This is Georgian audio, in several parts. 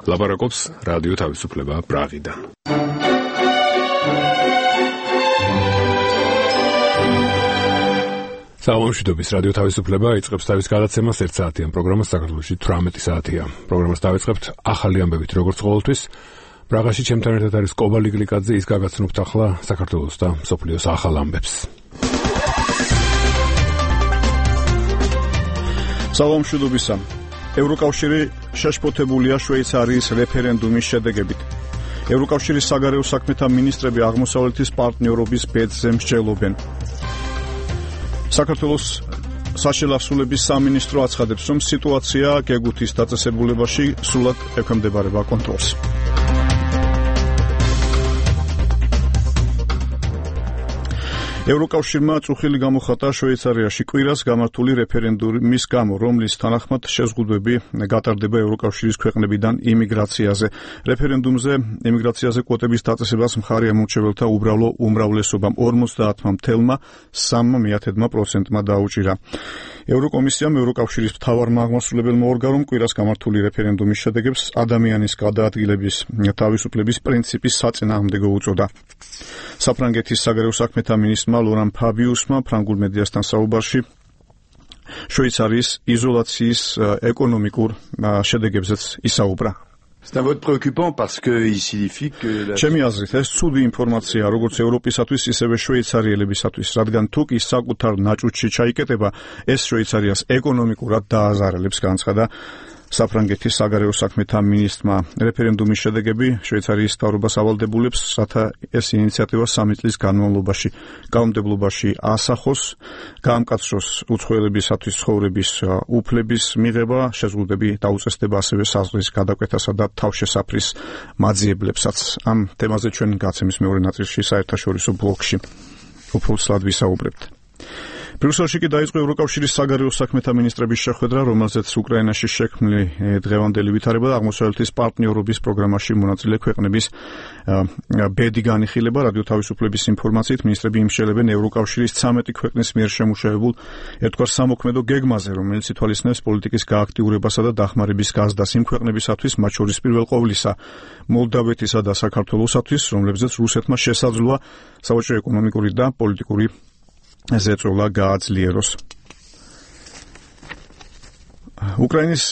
ლაპარაკობს რადიო თავისუფლება პრაღიდან. საომშვიდობის რადიო თავისუფლება იწყებს თავის გადაცემას 1 საათიან პროგრამას საქართველოში 18 საათია. პროგრამას დავიწყებთ ახალი ამბებით, როგორც ყოველთვის. პრაღაში ჩემთან ერთად არის კობალი გლიკაძე, ის გაგაცნობთ ახლა საქართველოს და მსოფლიოს ახალ ამბებს. საომშვიდობისა. ევროკავშირი შეშფოთებულია შვეიცარიის რეფერენდუმის შედეგებით. ევროკავშირის საგარეო საქმეთა მინისტრები აღმოსავლეთის პარტნიორობის ბედზე მსჯელობენ. საქართველოს საშელასულების სამინისტრო აცხადებს, რომ სიტუაცია გეგუთის დაწესებულებაში სრულად ექვემდებარება კონტროლს. ევროკავშირმა წუხილი გამოხატა შვეიცარიაში კვირას გამართული რეფერენდუმის გამო, რომლის თანახმად შეზღუდვები გატარდება ევროკავშირის ქვეყნებიდან იმიგრაციაზე. რეფერენდუმზე იმიგრაციაზე კვოტების დაწესებას მხარი ამორჩეველთა უბრალო უმრავლესობამ 50.3% დაუჭირა. ევროკომისიამ ევროკავშირის მთავარმა აღმასრულებელმა ორგანომ კვირას გამართული რეფერენდუმის შედეგებს ადამიანის გადაადგილების თავისუფლების პრინციპის საწინააღმდეგო უწოდა. საფრანგეთის საგარეო საქმეთა მინისტრმა ლორან ფაბიუსმა ფრანგულ მედიასთან საუბარში შვეიცარიის იზოლაციის ეკონომიკურ შედეგებზეც ისაუბრა. C'est un vote préoccupant parce qu'il signifie que ჩემი აზრით ეს ცუდი ინფორმაცია როგორც ევროპისათვის, ისევე შვეიცარიელებისათვის, რადგან თუ კი საკუთარ ნაჭუჭში ჩაიკეტება, ეს შვეიცარიას ეკონომიკურად დააზარალებს, განცხადა საფრანგეთის საგარეო საქმეთა მინისტრმა. რეფერენდუმის შედეგები შვეიცარიის მთავრობას ავალდებულებს, რათა ეს ინიციატივა 3 წლის განმავლობაში კანონმდებლობაში ასახოს, გაამკაცროს უცხოელებისათვის ცხოვრების უფლების მიღება, შეზღუდვები დაუწესდება ასევე საზღვრის გადაკვეთასა და თავშესაფრის მაძიებლებსაც. ამ თემაზე ჩვენ გაცემის მეორე ნაწილში საერთაშორისო ბლოკში უფრო ცალად ვისაუბრებთ. ბრიუსელში კი დაიწყო ევროკავშირის საგარეო საქმეთა მინისტრების შეხვედრა, რომელზეც უკრაინაში შექმნილი დღევანდელი ვითარება და აღმოსავლეთის პარტნიორობის პროგრამაში მონაწილე ქვეყნების ბედი განიხილება. რადიო თავისუფლების ინფორმაციით მინისტრები იმსჯელებენ ევროკავშირის 13 ქვეყნის მიერ შემუშავებულ ერთგვარ სამოქმედო გეგმაზე, რომელიც ითვალისწინებს პოლიტიკის გააქტიურებასა და დახმარების გაზრდას იმ ქვეყნებისათვის, მათ შორის პირველ ყოვლისა მოლდავეთისა და საქართველოსათვის, რომლებზეც რუსეთმა შესაძლოა სავაჭრო ეკონომიკური და პოლიტიკური ზეწოლა გააძლიეროს. უკრაინის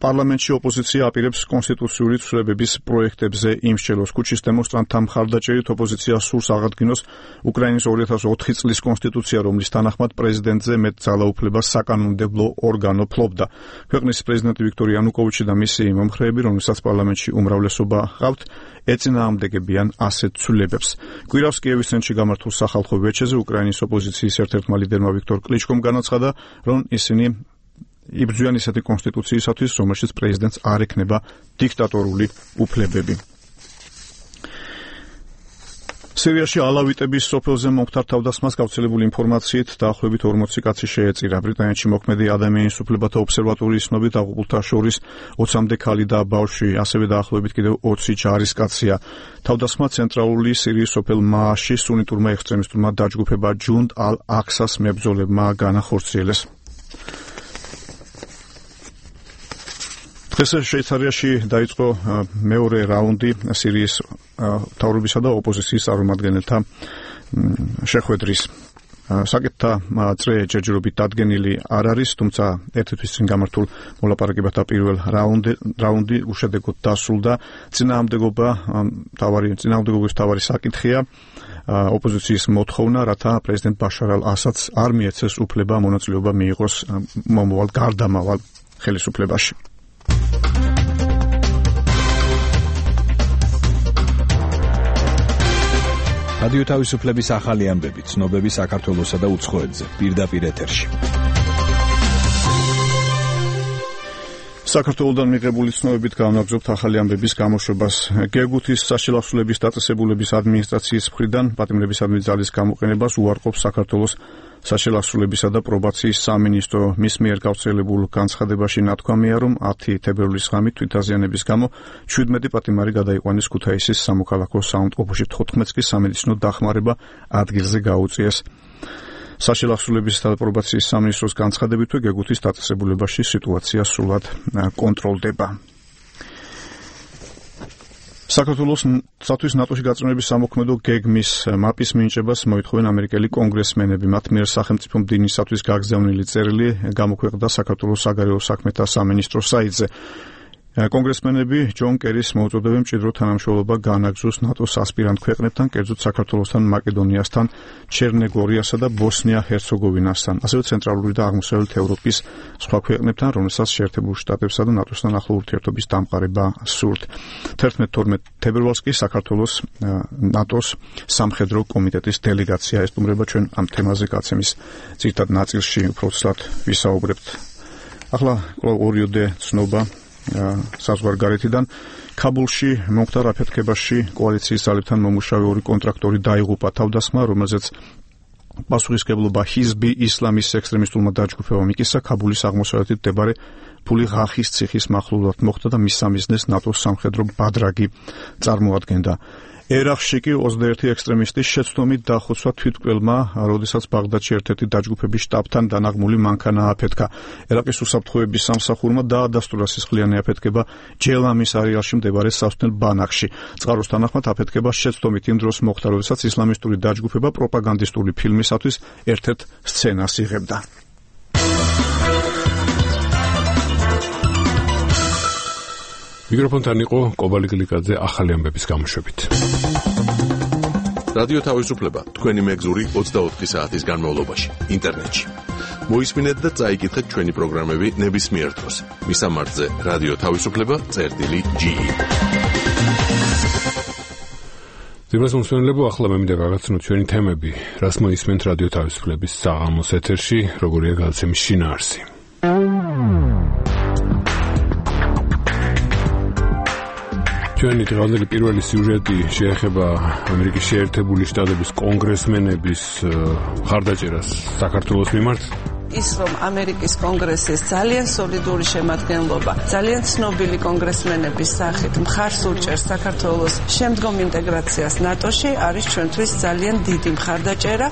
პარლამენტში ოპოზიცია აპირებს კონსტიტუციური ცვლილებების პროექტებზე იმსჯელოს. ქუჩის დემონსტრანტთა მხარდაჭერით ოპოზიცია სურს აღადგინოს უკრაინის 2004 წლის კონსტიტუცია, რომლის თანახმად პრეზიდენტზე მეტ ძალაუფლებას საკანონმდებლო ორგანო ფლობდა. ქვეყნის პრეზიდენტი ვიქტორ იანუკოვიჩი და მისი მომხრეები, რომელსაც პარლამენტში უმრავლესობა ჰყავთ, ეწინააღმდეგებიან ასეთ ცვლილებებს. კვირავს კიევის ცენტრში გამართულ სახალხო ვეჩეზე უკრაინის ოპოზიციის ერთ-ერთმა ლიდერმა ვიქტორ კლიჩკომ განაცხადა, რომ ისინი იბრძვიან ისეთი კონსტიტუციისათვის, რომელშიც პრეზიდენტს არ ექნება დიქტატორული უფლებები. სირიაში ალავიტების სოფელზე მომხდარ თავდასხმას გავრცელებული ინფორმაციით დაახლოებით 40 კაცი შეეწირა. ბრიტანეთში მოქმედი ადამიანის უფლებათა ობსერვატორიის ცნობით აღუყურთა შორის 20-მდე ქალი და ბავშვი, ასევე დაახლოებით კიდევ 20 ჯარისკაცია. თავდასხმა ცენტრალური სირიის სოფელ მააში სუნიტურმა ექსტრემისტურმა დაჯგუფება ჯუნდ ალ-აქსას მებრძოლებმა განახორციელეს. დღეს შვეიცარიაში დაიწყო მეორე რაუნდი სირიის მთავრობისა და ოპოზიციის წარმომადგენელთა შეხვედრის. საკითხთა წრე ჯერჯერობით დადგენილი არ არის, თუმცა ერთი თვის წინ გამართულ მოლაპარაკებათა პირველ რაუნდი უშედეგოდ დასრულდა. წინააღმდეგობის მთავარი საკითხია ოპოზიციის მოთხოვნა, რათა პრეზიდენტ ბაშარ ალ-ასადს არ მიეცეს უფლება მონაწილეობა მიიღოს მომავალ გარდამავალ ხელისუფლებაში. რადიო თავისუფლების ახალი ამბები, ცნობები საქართველოსა და უცხოეთზე, პირდაპირ ეთერში. საქართველოდან მიღებული ცნობებით განვაგრძობთ ახალი ამბების გამოშვებას. გეგუთის საშელასულების დაწესებულების ადმინისტრაციის მხრიდან პატიმრებისადმი ძალის გამოყენებას უარყოფს საქართველოს საშელასულებისა და პრობაციის სამინისტრო. მის მიერ გავრცელებულ განცხადებაში ნათქვამია, რომ 10 თებერვლის ღამით თვითაზიანების გამო 17 პატიმარი გადაიყვანეს ქუთაისის სამოქალაქო საავადმყოფოში, 14 კი სამედიცინო დახმარება ადგილზე გაუწიეს. საშელასულებისა და პრობაციის სამინისტროს განცხადებითვე გეგუთის დაწესებულებაში სიტუაცია სრულად კონტროლდება. საქართველოსთვის ნატოში გაწმენდების სამოქმედო გეგმის მაპის მინიჭებას მოითხოვენ ამერიკელი კონგრესმენები. მათ მიერ სახელმწიფო მდივნისათვის გაგზავნილი წერილი გამოქვეყნდა საქართველოს საგარეო საქმეთა სამინისტროს საიტზე. კონგრესმენები ჯონ კერის მოუწოდებენ მჭიდრო თანამშრომლობა გაანაგრძოს ნატოს ასპირანტ ქვეყნებთან, კერძოდ საქართველოსთან, მაკედონიასთან, ჩერნეგორიასა და ბოსნია-ჰერცეგოვინასთან, ასევე ცენტრალური და აღმოსავლეთ ევროპის სხვა ქვეყნებთან, რომელსაც შეერთებულ შტატებსა და ნატოსთან ახლო ურთიერთობის დამყარება სურთ. 11-12 თებერვალს კი საქართველოს ნატოს სამხედრო კომიტეტის დელეგაცია ესტუმრება. ჩვენ ამ თემაზე გაცემის ძირითად ნაწილში უფრო ცუდად ვისაუბრებთ. ახლა ორიოდე ცნობა საზღვარგარეთიდან. ქაბულში მომხდარ აფეთქებაში კოალიციის ძალებთან მომუშავე ორი კონტრაქტორი დაიღუპა. თავდასხმა, რომელზეც პასუხისმგებლობა ჰიზბი ისლამის ექსტრემისტულმა დაჯგუფებამ იკისა, ქაბულის აღმოსავლეთით მდებარე ფული ღახის ციხის მახლობლად მოხდა და მის სამიზნეს ნატოს სამხედრო ბადრაგი წარმოადგენდა. ერაყში კი 21 ექსტრემისტის შეცდომით დახოცვა თვითმკვლელმა, როდესაც ბაღდადში ერთ-ერთი დაჯგუფების შტაბთან დანაღმული მანქანა აფეთქა. ერაყის უსაფრთხოების სამსახურმა დაადასტურა სისხლიანი აფეთქება ჯელამის არეალში მდებარე სასწავლელ ბანაკში. წყაროს თანახმად აფეთქება შეცდომით იმ დროს მოხდა, როდესაც ისლამისტური დაჯგუფება პროპაგანდისტული ფილმისათვის ერთ-ერთ სცენას იღებდა. მიკროფონთან იყო კობალი გლიკაძე ახალი ამბების გამოშვებით. რადიო თავისუფლება თქვენი მეგზური 24 საათის განმავლობაში ინტერნეტში. მოისმინეთ და წაიკითხეთ ჩვენი პროგრამები ნებისმიერ დროს. მისამართზე რადიო თავისუფლება.ge. ძირას მომსვენებლებო, ახლა მე მინდა გაგაცნოთ ჩვენი თემები, რას მოისმენთ რადიო თავისუფლების საღამოს ეთერში, როგორია გადაცემის შინაარსი. ჩვენი დღევანდელი პირველი სიუჟეტი შეეხება ამერიკის შეერთებული შტატების კონგრესმენების მხარდაჭერას საქართველოს მიმართ. ის რომ ამერიკის კონგრესის ძალიან სოლიდური შემადგენლობა, ძალიან ცნობილი კონგრესმენების სახით მხარს უჭერს საქართველოს შემდგომ ინტეგრაციას ნატოში, არის ჩვენთვის ძალიან დიდი მხარდაჭერა.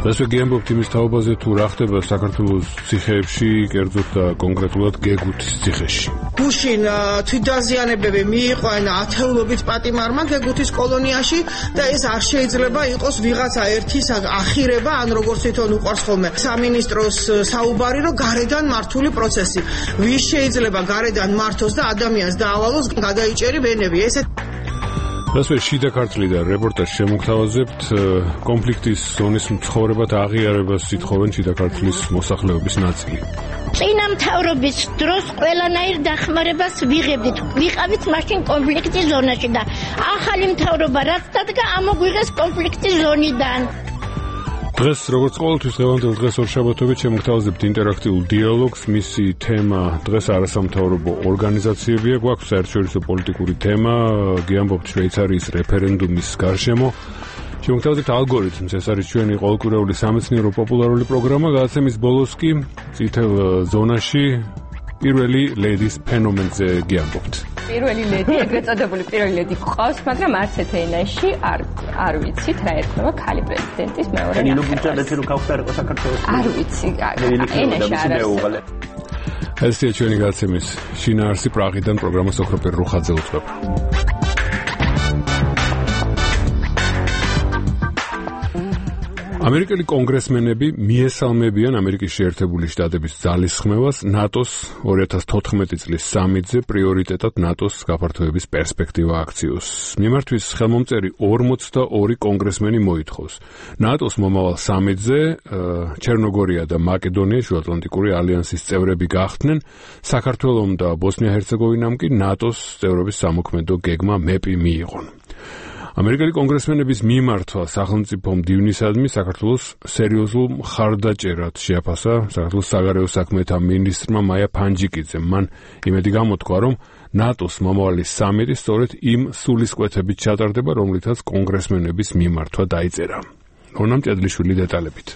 დღეს ვიგებთ იმის თაობაზე, თუ რა ხდება საქართველოს ციხეებში, კერძოდ და კონკრეტულად გეგუთის ციხეში. გუშინ თვითდაზიანებები მიიყვანა ათეულობით პატიმარმა გეგუთის კოლონიაში და ეს არ შეიძლება იყოს ვიღაცა ერთის ახირება, ან როგორც თვითონ უყვარს ხოლმე სამინისტროს საუბარი, რომ გარედან მართული პროცესი. ვის შეიძლება გარედან მართოს და ადამიანს დაავალოს გადაიჭერი ვენები. ესეთ რასვე შიდა ქართლიდან რეპორტაჟი შემოგთავაზებთ კონფლიქტის ზონის მცხოვრებად აღიარებას ითხოვენ შიდა ქართლის მოსახლეობის ნაწილი. წინა მთავრობის დროს ყველანაირ დახმარებას ვიღებდით. ვიყავით მაშინ კონფლიქტის ზონაში და ახალი მთავრობა რაც დადგა ამოგვიღეს კონფლიქტის ზონიდან. დღეს როგორც ყოველთვის დღევანდელ დღეს ორშაბათობით შემოგთავაზებთ ინტერაქტიულ დიალოგს. მისი თემა დღეს არასამთავრობო ორგანიზაციებია. გვაქვს საერთაშორისო პოლიტიკური თემა, გიამბობთ შვეიცარიის რეფერენდუმის გარშემო. შემოგთავაზებთ ალგორითმს, ეს არის ჩვენი ყოველკვირეული სამეცნიერო პოპულარული პროგრამა. გადაცემის ბოლოს კი წითელ ზონაში პირველი ლედის ფენომენზე გიამბობთ. პირველი ლედი, ეგრეთ წოდებული პირველი ლედი გვყავს, მაგრამ არც ერთ ენაში არ ვიცით რა ერთობა ქალი პრეზიდენტის მეორე ნახევარს. ნინო ბუჩაძე რო გავხდარიყო საქართველოს. არ ვიცი, ენაში არ არის. ესეა ჩვენი გადაცემის შინაარსი პრაღიდან პროგრამას ოქროპერ რუხაძე უძღვება. ამერიკელი კონგრესმენები მიესალმებიან ამერიკის შეერთებული შტატების ძალისხმევას ნატოს 2014 წლის სამიტზე პრიორიტეტად ნატოს გაფართოების პერსპექტივა აქციოს. მიმართვის ხელმომწერი 42 კონგრესმენი მოითხოვს ნატოს მომავალ სამიტზე ჩერნოგორია და მაკედონია შუაატლანტიკური ალიანსის წევრები გახდნენ, საქართველომ და ბოსნია-ჰერცეგოვინამ კი ნატოს წევრობის სამოქმედო გეგმა მეპი მიიღონ. ამერიკელი კონგრესმენების მიმართვა სახელმწიფო მდივნისადმი საქართველოს სერიოზულ მხარდაჭერად შეაფასა საქართველოს საგარეო საქმეთა მინისტრმა მაია ფანჯიკიძემ. მან იმედი გამოთქვა, რომ ნატოს მომავალი სამიტი სწორედ იმ სულისკვეთებით ჩატარდება, რომლითაც კონგრესმენების მიმართვა დაიწერა. რონამ ჭედლიშვილი დეტალებით.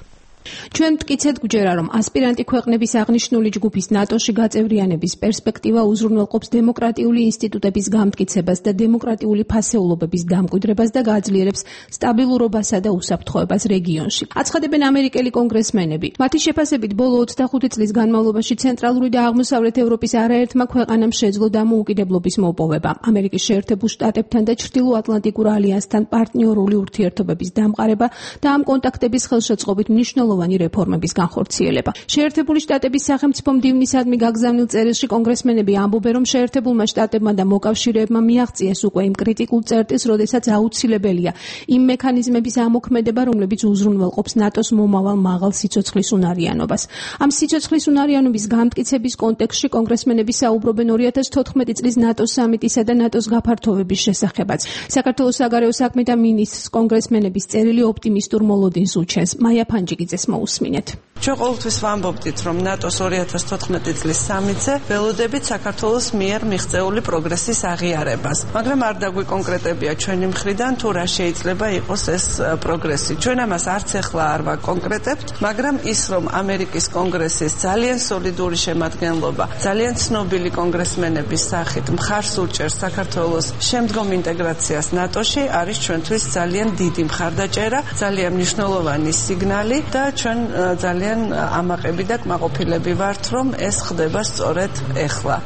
ჩვენ მტკიცედ გვჯერა, რომ ასპირანტი ქვეყნების აღნიშნული ჯგუფის ნატოში გაწევრიანების პერსპექტივა უზრუნველყოფს დემოკრატიული ინსტიტუტების გამტკიცებას და დემოკრატიული ფასეულობების დამკვიდრებას და გააძლიერებს სტაბილურობასა და უსაფრთხოებას რეგიონში. აცხადებენ ამერიკელი კონგრესმენები. მათი შეფასებით, ბოლო 25 წლის განმავლობაში ცენტრალური და აღმოსავლეთ ევროპის არაერთმა ქვეყანამ შეძლო დამოუკიდებლობის მოპოვება. ამერიკის შეერთებულ შტატებთან და ჩრდილოატლანტიკურ ალიანსთან პარტნიორული ურთიერთობების დამყარება და ამ კონტაქტების ხელშეწყობით მნიშვნელოვანი რეფორმების განხორციელება. შეერთებული შტატების სახელმწიფო მდივნისადმი გაგზავნილ წერილში კონგრესმენები ამბობენ, რომ შეერთებულმა შტატებმა და მოკავშირეებმა მიაღწიეს უკვე იმ კრიტიკულ წერტილს, როდესაც აუცილებელია იმ მექანიზმების ამოქმედება, რომლებიც უზრუნველყოფს ნატოს მომავალ მაღალ სიცოცხლის უნარიანობას. ამ სიცოცხლის უნარიანობის გამტკიცების კონტექსტში კონგრესმენები საუბრობენ 2014 წლის ნატოს სამიტისა და ნატოს გაფართოვების შესახებაც. საქართველოს საგარეო საქმეთა მინისტრს კონგრესმენების წერილი ოპტიმისტურ მოლოდინს უჩენს. მაია ფანჯიკიძეს მოусმინეთ. ჩვენ ყოველთვის ვამბობდით, რომ ნატოს 2014 წლის სამიტზე ველოდებით საქართველოს მიერ მიღწეული პროგრესის აღიარებას. მაგრამ არ დაგვიკონკრეტებია ჩვენი მხრიდან თუ რა შეიძლება იყოს ეს პროგრესი. ჩვენ ამას არც ახლა არ ვაკონკრეტებთ, მაგრამ ის რომ ამერიკის კონგრესის ძალიან სოლიდური შემადგენლობა, ძალიან ცნობილი კონგრესმენების სახით მხარს უჭერს საქართველოს შემდგომ ინტეგრაციას ნატოში, არის ჩვენთვის ძალიან დიდი მხარდაჭერა, ძალიან მნიშვნელოვანი სიგნალი და ჩვენ ძალიან ამაყები და კმაყოფილები ვართ, რომ ეს ხდება სწორედ ეხლა.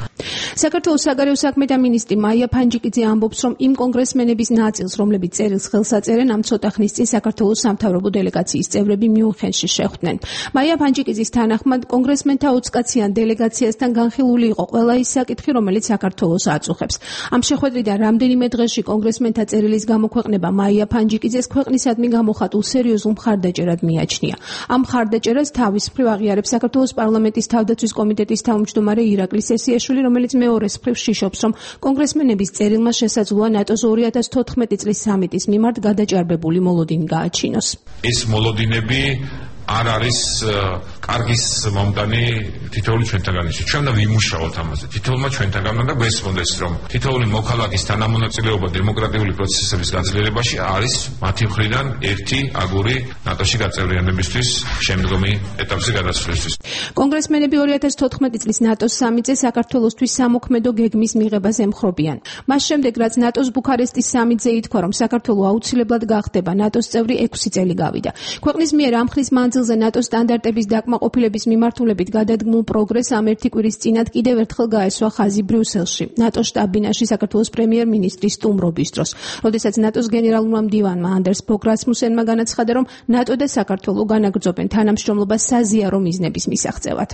საქართველოს საგარეო საქმეთა მინისტრი მაია ფანჯიკიძე ამბობს, რომ იმ კონგრესმენების ნაწილს, რომლებიც წერილს ხელს აწერენ, ამ ცოტა ხნის წინ საქართველოს სამთავრობო დელეგაციის წევრები მიუნხენში შეხვდნენ. მაია ფანჯიკიძის თანახმად, კონგრესმენთა 20 კაციან დელეგაციასთან განხილული იყო ყველა ის საკითხი, რომელიც საქართველოს აწუხებს. ამ შეხვედრიდან რამდენიმე დღეში კონგრესმენთა წერილის გამოქვეყნება მაია ფანჯიკიძეს ქვეყნისადმი გამოხატულ სერიოზულ მხარდაჭერად მიაჩნია. ამ მხარდაჭერას თავის მხრივ აღიარებს საქართველოს პარლამენტის თავდაცვის კომიტეტის თავმჯდომარე ირაკლი სესიაშვილი, რომელიც მეორეს მხრივ შიშობს, რომ კონგრესმენების წერილმა შესაძლოა ნატოს 2014 წლის სამიტის მიმართ გადაჭარბებული მოლოდინი გააჩინოს. ეს მოლოდინები არ არის კარგის მომდანი თითოეული ჩვენთაგანში. ჩვენ და ვიმუშაოთ ამაზე. თითოეულმა ჩვენთაგან და გვესმოდეს, რომ თითოეული მოქალაქის თანამონაწილეობა დემოკრატიული პროცესების გაძლიერებაში არის მათი მხრიდან ერთი აგური ნატოში გაწევრიანებისთვის შემდგომი ეტაპზე გადასვლისთვის. კონგრესმენები 2014 წლის ნატოს სამიტზე საქართველოსთვის სამოქმედო გეგმის მიღებას ემხრობიან. მას შემდეგ, რაც ნატოს ბუქარესტის სამიტზე ითქვა, რომ საქართველო აუცილებლად გახდება ნატოს წევრი 6 წელი გავიდა. ქვეყნის მიერ ამ ხნის მანძილზე ნატოს სტანდარტების დაკმაყოფილების მიმართულებით გადადგმულ პროგრესს ამ ერთი კვირის წინათ კიდევ ერთხელ გაესვა ხაზი ბრიუსელში, ნატოს შტაბ-ბინაში საქართველოს პრემიერ-მინისტრის სტუმრობის დროს, როდესაც ნატოს გენერალურმა მდივანმა ანდერს ბოგ რასმუსენმა განაცხადა, რომ ნატო და საქართველო განაგრძობენ თანამშრომლობას საზიარო მიზნების მისაღწევად.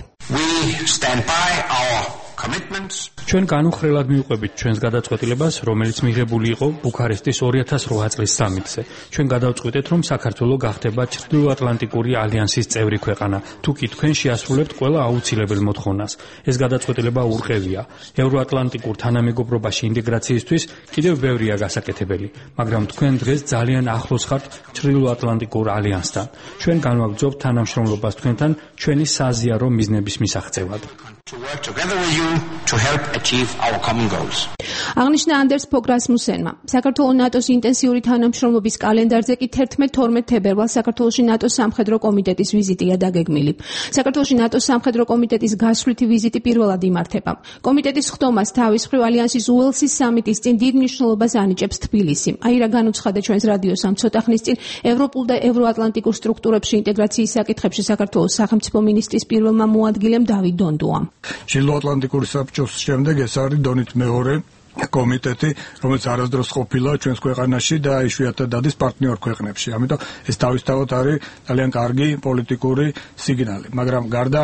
ჩვენ განუხრელად მივყვებით ჩვენს გადაწყვეტილებას, რომელიც მიღებული იყო ბუქარესტის 2008 წლის სამიტზე. ჩვენ გადავწყვიტეთ, რომ საქართველო გახდება ჩრდილოატლანტიკური ალიანსის წევრი ქვეყანა, თუ კი თქვენ შეასრულებთ ყველა აუცილებელ მოთხოვნას. ეს გადაწყვეტილება ურყევია. ევროატლანტიკურ თანამეგობრობაში ინტეგრაციისთვის კიდევ ბევრია გასაკეთებელი, მაგრამ თქვენ დღეს ძალიან ახლოს ხართ ჩრდილოატლანტიკურ ალიანსთან. ჩვენ განვაგრძობთ თანამშრომლობას თქვენთან ჩვენი საზიარო მიზნების მისაღწევად. აღნიშნა ანდერს ბოგ რასმუსენმა. საქართველოს ნატოს ინტენსიური თანამშრომლობის კალენდარზე კი 11-12 თებერვალს საქართველოში ნატოს სამხედრო კომიტეტის ვიზიტია დაგეგმილი. საქართველოში ნატოს სამხედრო კომიტეტის გასვლითი ვიზიტი პირველად იმართება. კომიტეტის ხდომას თავის მხრივ ალიანსის უელსის სამიტის წინ დიდ მნიშვნელობას ანიჭებს თბილისი. აირა განუცხადა ჩვენს რადიოს ამ ცოტა ხნის წინ ევროპულ და ევროატლანტიკურ სტრუქტურებში ინტეგრაციის საკითხებში საქართველოს სახელმწიფო მინისტრის პირველმა მოადგილემ დავით დონდუამ. ჩრდილოატლანტიკური საბჭოს შემდეგ ეს არის დონით მეორე კომიტეტი, რომელიც არასდროს ყოფილა ჩვენს ქვეყანაში და იშვიათად დადის პარტნიორ ქვეყნებში. ამიტომ ეს თავისთავად არის ძალიან კარგი პოლიტიკური სიგნალი, მაგრამ გარდა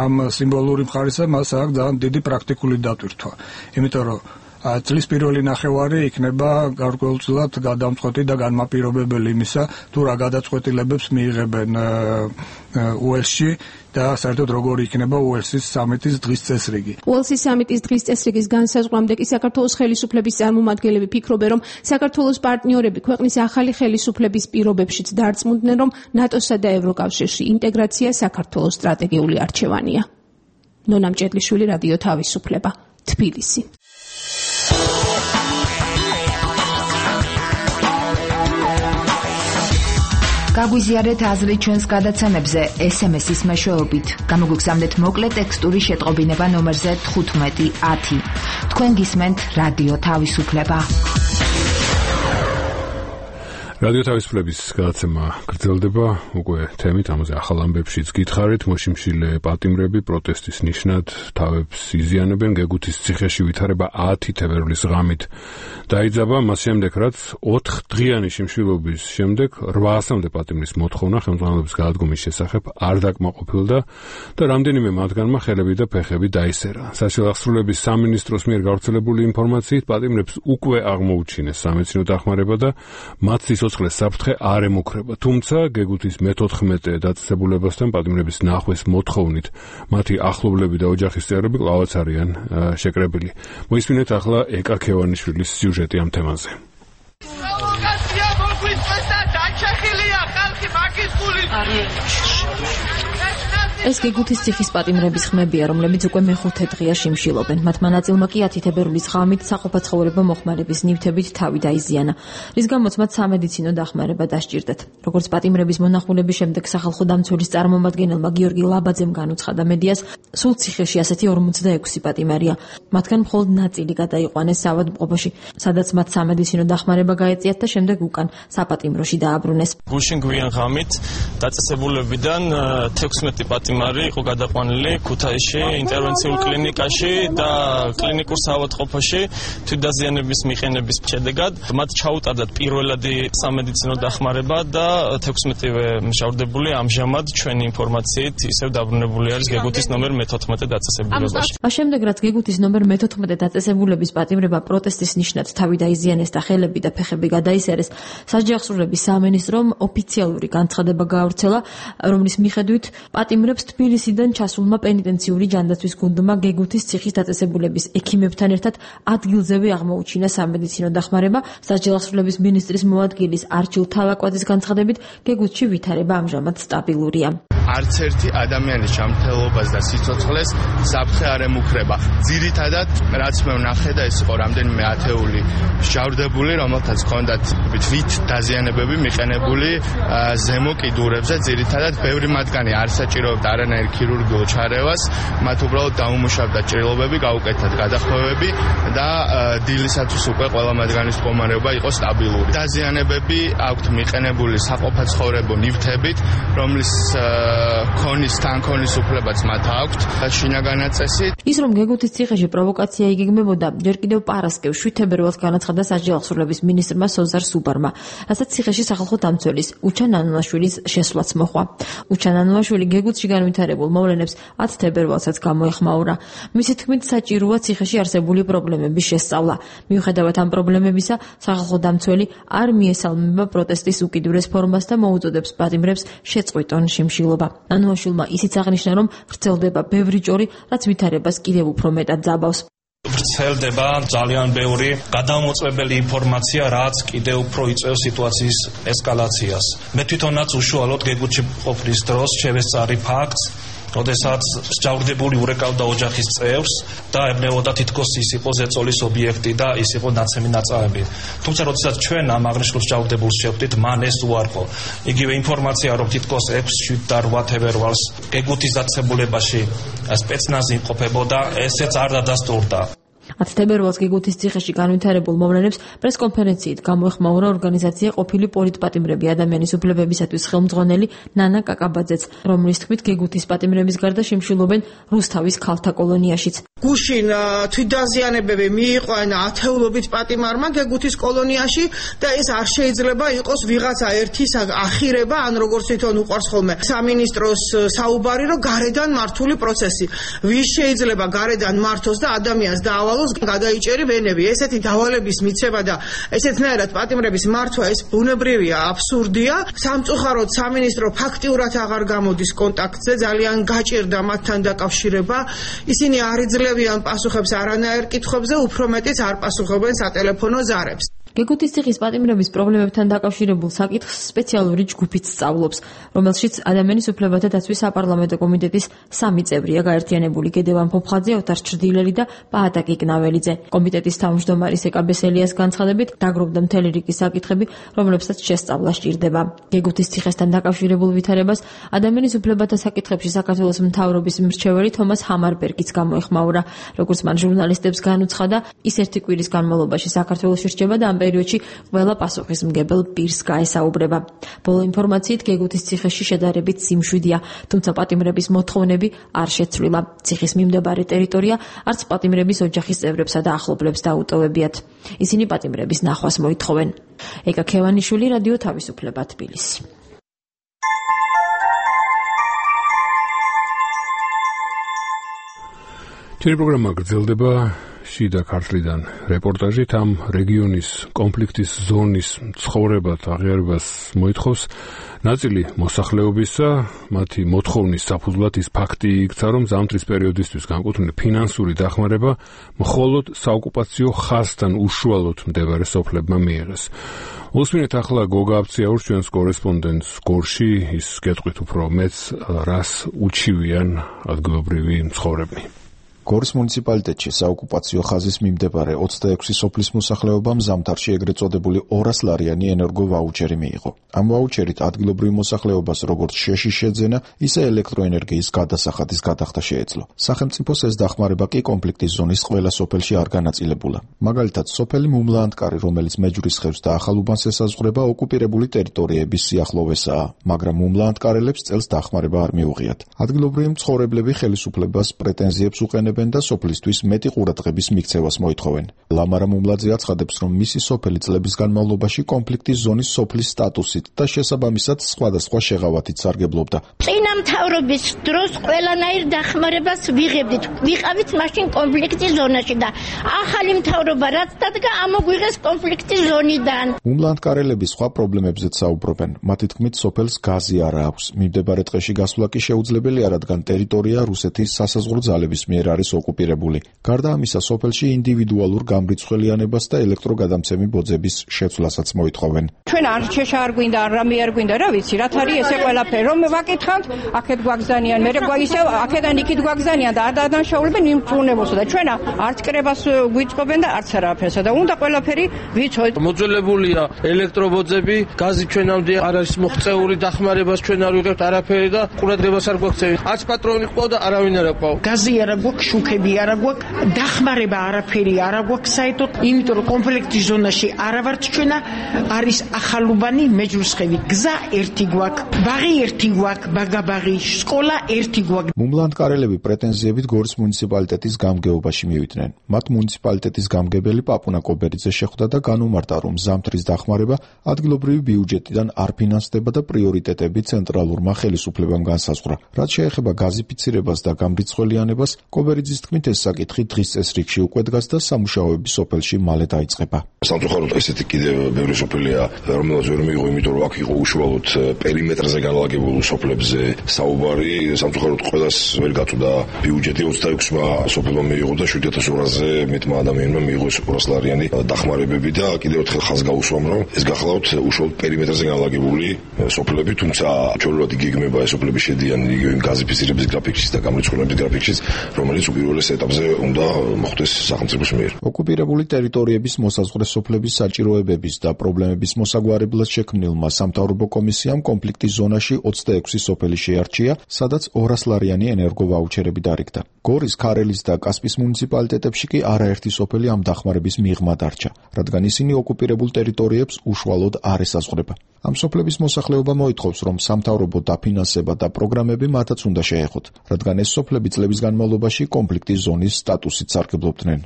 ამ სიმბოლური მხარისა მას აქვს ძალიან დიდი პრაქტიკული დატვირთვა. იმიტომ რომ წლის პირველი ნახევარი იქნება გარკვეულწილად გადამწყვეტი და განმაპირობებელი იმისა, თუ რა გადაწყვეტილებებს მიიღებენ უელსში და საერთოდ როგორი იქნება უელსის სამიტის დღის წესრიგი. უელსის სამიტის დღის წესრიგის განსაზღვრამდე კი საქართველოს ხელისუფლების წარმომადგენლები ფიქრობენ, რომ საქართველოს პარტნიორები ქვეყნის ახალი ხელისუფლების პირობებშიც დარწმუნდნენ, რომ ნატოსა და ევროკავშირში ინტეგრაცია საქართველოს სტრატეგიული არჩევანია. ნონა მჭედლიშვილი, რადიო თავისუფლება, თბილისი. გაგვიზიარეთ აზრი ჩვენს გადაცემებზე SMS-ის მეშვეობით. გამოგვიგზავნეთ მოკლე ტექსტური შეტყობინება ნომერზე 1510. თქვენ გისმენთ რადიო თავისუფლება. რადიო თავისუფლების გადაცემა გრძელდება უკვე თემით ამაზე ახალ ამბებშიც გითხარით მოშიმშილე პატიმრები პროტესტის ნიშნად თავებს იზიანებენ გეგუთის ციხეში ვითარება 10 თებერვლის ღამით დაიძაბა მას შემდეგ რაც 4 დღიანი შიმშილობის შემდეგ 800-მდე პატიმრის მოთხოვნა ხელმძღვანელობის გადადგომის შესახებ არ დაკმაყოფილდა და რამდენიმე მათგანმა ხელები და ფეხები დაისერა საშუალო სამინისტროს მიერ გავრცელებული ინფორმაციით პატიმრებს უკვე აღმოუჩინეს სამედიცინო დახმარება და მათ სიცოცხლეს საფრთხე არ ემუქრება. თუმცა გეგუთის მე-14 დაწესებულებასთან პატიმრების ნახვის მოთხოვნით მათი ახლობლები და ოჯახის წევრები კვლავაც არიან შეკრებილი. მოისმინეთ ახლა ეკა ქევანიშვილის სიუჟეტი ამ თემაზე. პროვოკაცია მოგვიწეს და დაჩეხილია ხალხი მაგის გულით. ეს გეგუთის ციხის პატიმრების ხმებია, რომლებიც უკვე მე-5 დღეა შიმშილობენ. მათმა ნაწილმა კი 10 თებერვლის ღამით საყოფაცხოვრებო მოხმარების ნივთებით თავი დაიზიანა, რის გამოც მათ სამედიცინო დახმარება დასჭირდათ. როგორც პატიმრების მონახულების შემდეგ სახალხო დამცველის წარმომადგენელმა გიორგი ლაბაძემ განუცხადა მედიას, სულ ციხეში ასეთი 46 პატიმარია. მათგან მხოლოდ ნაწილი გადაიყვანეს ავადმყოფოში, სადაც მათ სამედიცინო დახმარება გაეწიათ და შემდეგ უკან საპატიმროში დააბრუნეს. გუშინ გვიან ღამით დაწესებულებიდან 16 პატიმარი იყო გადაყვანილი ქუთაისში ინტერვენციულ კლინიკაში და კლინიკურ საავადმყოფოში თვითდაზიანების მიყენების შედეგად მათ ჩაუტარდათ პირველადი სამედიცინო დახმარება და 16-ვე მჟავრდებული ამჟამად ჩვენი ინფორმაციით ისევ დაბრუნებული არის გეგუთის ნომერ მე-14 დაწესებულებაში. შემდეგ რაც გეგუთის ნომერ მე-14 დაწესებულების პატიმრება პროტესტის ნიშნად თავი დაიზიანეს და ხელები და ფეხები გადაისერეს, სასჯელსრულების სამინისტრომ ოფიციალური განცხადება გაავრცელა, რომლის მიხედვით პატიმრებს თბილისიდან ჩასულმა პენიტენციური ჯანდაცვის გუნდმა გეგუთის ციხის დაწესებულების ექიმებთან ერთად ადგილზევე აღმოუჩინა სამედიცინო დახმარება. სასჯელსრულების მინისტრის მოადგილის არჩილ თავაკვაძის განცხადებით, გეგუთში ვითარება ამჟამად სტაბილურია. არც ერთი ადამიანის ჯანმრთელობას და სიცოცხლეს საფრთხე არ ემუქრება. ძირითადად, რაც მე ვნახე და ეს იყო რამდენიმე ათეული მჟავრდებული, რომელთაც ჰქონდათ თვით დაზიანებები მიყენებული ზემო კიდურებზე. ძირითადად, ბევრი მათგანი არ საჭიროებდა არანაირ ქირურგიულ ჩარევას, მათ უბრალოდ დაუმუშავდა ჭრილობები, გაუკეთათ გადახვევები და დილისათვის უკვე ყველა მათგანის მდგომარეობა იყო სტაბილური. დაზიანებები აქვთ მიყენებული საყოფაცხოვრებო ნივთებით, რომლის თანქონის უფლებაც მათ აქვთ შინაგანი წესი. ის რომ გეგუთის ციხეში პროვოკაცია იგეგმებოდა, ჯერ კიდევ პარასკევს 7 თებერვალს განაცხადა სასჯელსრულების მინისტრმა სოზარ სუბარმა, რასაც ციხეში სახალხო დამცველის უჩა ნანუაშვილის შესვლაც მოჰყვა. უჩა ნანუაშვილი გეგუთში განვითარებულ მოვლენებს 10 თებერვალსაც გამოეხმაურა. მისი თქმით, საჭიროა ციხეში არსებული პრობლემების შესწავლა. მიუხედავად ამ პრობლემებისა, სახალხო დამცველი არ მიესალმება პროტესტის უკიდურეს ფორმას და მოუწოდებს პატიმრებს შეწყვიტონ შიმშილობა. ნანუაშვილმა ისიც აღნიშნა, რომ ვრცელდება ბევრი ჭორი, რაც ვითარებას კიდევ უფრო მეტად ძაბავს. ვრცელდება ძალიან ბევრი გადამოწმებელი ინფორმაცია, რაც კიდევ უფრო იწვევს სიტუაციის ესკალაციას. მე თვითონაც უშუალოდ გეგუთში ყოფნის დროს შევესწარი ფაქტს, როდესაც მსჯავრდებული ურეკავდა ოჯახის წევრს და ეუბნებოდა თითქოს ის იყო ზეწოლის ობიექტი და ის იყო ნაცემი ნაწარმი. თუმცა როდესაც ჩვენ ამ აღნიშნულ მსჯავრდებულს შევხვდით, მან ეს უარყო. იგივე ინფორმაცია, რომ თითქოს 6, 7 და 8 თებერვალს გეგუთის დაწესებულებაში სპეცნაზი იმყოფებოდა, ესეც არ დადასტურდა. 10 თებერვალს გეგუთის ციხეში განვითარებულ მოვლენებს პრესკონფერენციით გამოეხმაურა ორგანიზაცია ყოფილი პოლიტპატიმრები ადამიანის უფლებებისათვის ხელმძღვანელი ნანა კაკაბაძეც, რომლის თქმით გეგუთის პატიმრების გარდა შიმშილობენ რუსთავის ქალთა კოლონიაშიც. გუშინ თვითდაზიანებები მიიყვანა ათეულობით პატიმარმა გეგუთის კოლონიაში და ეს არ შეიძლება იყოს ვიღაცა ერთის ახირება, ან როგორც თვითონ უყვარს ხოლმე სამინისტროს საუბარი, რომ გარედან მართული პროცესი. ვის შეიძლება გარედან მართოს და ადამიანს დაავალოს გადაიჭერი ვენები. ესეთი დავალების მიცემა და ესეთნაირად პატიმრების მართვა ეს ბუნებრივია, აბსურდია. სამწუხაროდ სამინისტრო ფაქტიურად აღარ გამოდის კონტაქტზე, ძალიან გაჭირდა მათთან დაკავშირება. ისინი არ იძლევიან პასუხებს არანაირ კითხვებზე, უფრო მეტიც არ პასუხობენ სატელეფონო ზარებს. გეგუთის ციხის პატიმრების პრობლემებთან დაკავშირებულ საკითხს სპეციალური ჯგუფიც სწავლობს, რომელშიც ადამიანის უფლებათა დაცვის საპარლამენტო კომიტეტის 3 წევრია გაერთიანებული: გედევან ფოფხაძე, ოთარ ჩრდილელი და პაატა კიკნაველიძე. კომიტეტის თავმჯდომარის ეკაბესელიას განცხადებით, დაგროვდა მთელი რიგი საკითხები, რომლებსაც შესწავლა სჭირდება. გეგუთის ციხესთან დაკავშირებულ ვითარებას ადამიანის უფლებათა საკითხებში საქართველოს მთავრობის მრჩეველი თომას ჰამარბერგიც გამოეხმაურა. როგორც მან ჟურნალისტებს განუცხადა, ის ერთი კვირის განმავლობაში საქართველოში რჩება და ამ პერიოდში ყველა პასუხისმგებელ პირს გაესაუბრება. ბოლო ინფორმაციით, გეგუთის ციხეში შედარებით სიმშვიდეა, თუმცა პატიმრების მოთხოვნები არ შეცვლილა. ციხის მიმდებარე ტერიტორია არც პატიმრების ოჯახის წევრებსა და ახლობლებს დაუტოვებიათ. ისინი პატიმრების ნახვას მოითხოვენ. ეკა ქევანიშვილი, რადიო თავისუფლება, თბილისი. ჩვენი პროგრამა გრძელდება შიდა ქართლიდან რეპორტაჟით ამ რეგიონის კონფლიქტის ზონის ცხოვრებათ აღიარებას მოითხოვს ნაწილი მოსახლეობისა, მათი მოთხოვნის საფუძვლად ის ფაქტი იქცა, რომ ზამთრის პერიოდისთვის განკუთვნილი ფინანსური დახმარება მხოლოდ საოკუპაციო ხაზთან უშუალოდ მდებარე სოფლებმა მიიღეს. უსმინეთ ახლა გოგა აფციაურს, ჩვენს კორესპონდენტს გორში, ის გეტყვით უფრო მეც რას უჩივიან ადგილობრივი მცხოვრებნი. გორის მუნიციპალიტეტში საოკუპაციო ხაზის მიმდებარე 26 სოფლის მოსახლეობამ ზამთარში ეგრეთ წოდებული 200 ლარიანი ენერგო ვაუჩერი მიიღო. ამ ვაუჩერით ადგილობრივ მოსახლეობას როგორც შეში შეძენა, ისე ელექტროენერგიის გადასახადის გადახდა შეეძლო. სახელმწიფოს ეს დახმარება კი კონფლიქტის ზონის ყველა სოფელში არ განაწილებულა. მაგალითად, სოფელი მუმლაანტკარი, რომელიც მეჯურის ხევს და ახალუბანს ესაზღვრება, ოკუპირებული ტერიტორიების სიახლოვესაა, მაგრამ მუმლაანტკარელებს წელს დახმარება არ მიუღიათ. ადგილობრივი მცხოვრებლები ხელისუფლებას პრეტენზიებს უყენებენ და სოფლისთვის მეტი ყურადღების მიქცევას მოითხოვენ. ლამარა მუმლაძე აცხადებს, რომ მისი სოფელი წლების განმავლობაში კონფლიქტის ზონის სოფლის სტატუსით და შესაბამისად სხვადასხვა შეღავათით სარგებლობდა. წინა მთავრობის დროს ყველანაირ დახმარებას ვიღებდით. ვიყავით მაშინ კონფლიქტის ზონაში და ახალი მთავრობა რაც დადგა, ამოგვიღეს კონფლიქტის ზონიდან. მუმლაანტკარელები სხვა პრობლემებზეც საუბრობენ. მათი თქმით, სოფელს გაზი არ აქვს. მიმდებარე ტყეში გასვლა კი შეუძლებელია, რადგან ტერიტორია რუსეთის სასაზღვრო ძალების მიერ არის ოკუპირებული. გარდა ამისა, სოფელში ინდივიდუალურ გამრიცხველიანებას და ელექტროგადამცემი ბოძების შეცვლასაც მოითხოვენ. ჩვენ არ შეშა არ გვინდა, არ რამე არ გვინდა, რა ვიცი, რაც არის ესე ყველაფერი, რომ ვაკითხავთ, აქეთ გვაგზავნიან, მე ისე აქედან იქით გვაგზავნიან და არ დადანაშაულებენ იმ ჭრუნებოსა და ჩვენ არც კრებას გვიწყობენ და არც არაფერსა და უნდა ყველაფერი ვიცოდეთ. მოძველებულია ელექტრობოძები, გაზი ჩვენამდე არ არის მოღწეული, დახმარებას ჩვენ არ ვიღებთ არაფერი და ყურადღებას არ გვაქცევით. არც პატრონი ყვა და არავინ არ ყვა. გაზი არა გვაქვს, შუქები არა გვაქვს, დახმარება არაფერი არა გვაქვს საერთოდ, იმიტომ რომ კონფლიქტის ზონაში არა ვართ ჩვენა, არის ახალუბანი, მეჯრუსხევი, გზა ერთი გვაქვს, ბაღი ერთი გვაქვს, ბაგაბაღი, სკოლა ერთი გვაქვს. მუმლაანტკარელები პრეტენზიებით გორის მუნიციპალიტეტის გამგეობაში მივიდნენ. მათ მუნიციპალიტეტის გამგებელი პაპუნა კობერიძე შეხვდა და განუმარტა, რომ ზამთრის დახმარება ადგილობრივი ბიუჯეტიდან არ ფინანსდება და პრიორიტეტები ცენტრალურმა ხელისუფლებამ განსაზღვრა. რაც შეეხება გაზიფიცირებას და გამრიცხველიანებას, კობერიძის თქმით, ეს საკითხი დღის წესრიგში უკვე დგას და სამუშაოები სოფელში მალე დაიწყება. სამწუხაროდ ესეთი კიდევ ბევრი სოფელია, რომელსაც ვერ მიიღო, იმიტომ რომ აქ იყო უშუალოდ პერიმეტრზე განლაგებულ სოფლებზე საუბარი. სამწუხაროდ ყველას ვერ გაწვდა ბიუჯეტი, 26-მა სოფელმა მიიღო და 7200-ზე მეტმა ადამიანმა მიიღო 200 ლარიანი დახმარებები და კიდევ ერთხელ ხაზს გავუსვამ, რომ ეს გახლავთ უშუალოდ პერიმეტრზე განლაგებული სოფლები, თუმცა ჩვეულებრივ იგეგმება ეს სოფლები შედიან იგივე გაზიფიცირების გრაფიკშიც და გამრიცხველების გრაფიკშიც, რომელიც უპირველეს ეტაპზე უნდა მოხდეს სახელმწიფოს მიერ. ოკუპირებული ტერიტორიების მოსაზღვრე სოფლების საჭიროებების და პრობლემების მოსაგვარებლად შექმნილმა სამთავრობო კომისიამ კონფლიქტის ზონაში 26 სოფელი შეარჩია, სადაც 200 ლარიანი ენერგო ვაუჩერები დარიგდა. გორის, ქარელის და კასპის მუნიციპალიტეტებში კი არაერთი სოფელი ამ დახმარების მიღმა დარჩა, რადგან ისინი ოკუპირებულ ტერიტორიებს უშუალოდ არ ესაზღვრება. ამ სოფლების მოსახლეობა მოითხოვს, რომ სამთავრობო დაფინანსება და პროგრამები მათაც უნდა შეეხოთ, რადგან ეს სოფლები წლების განმავლობაში კონფლიქტის ზონის სტატუსით სარგებლობდნენ.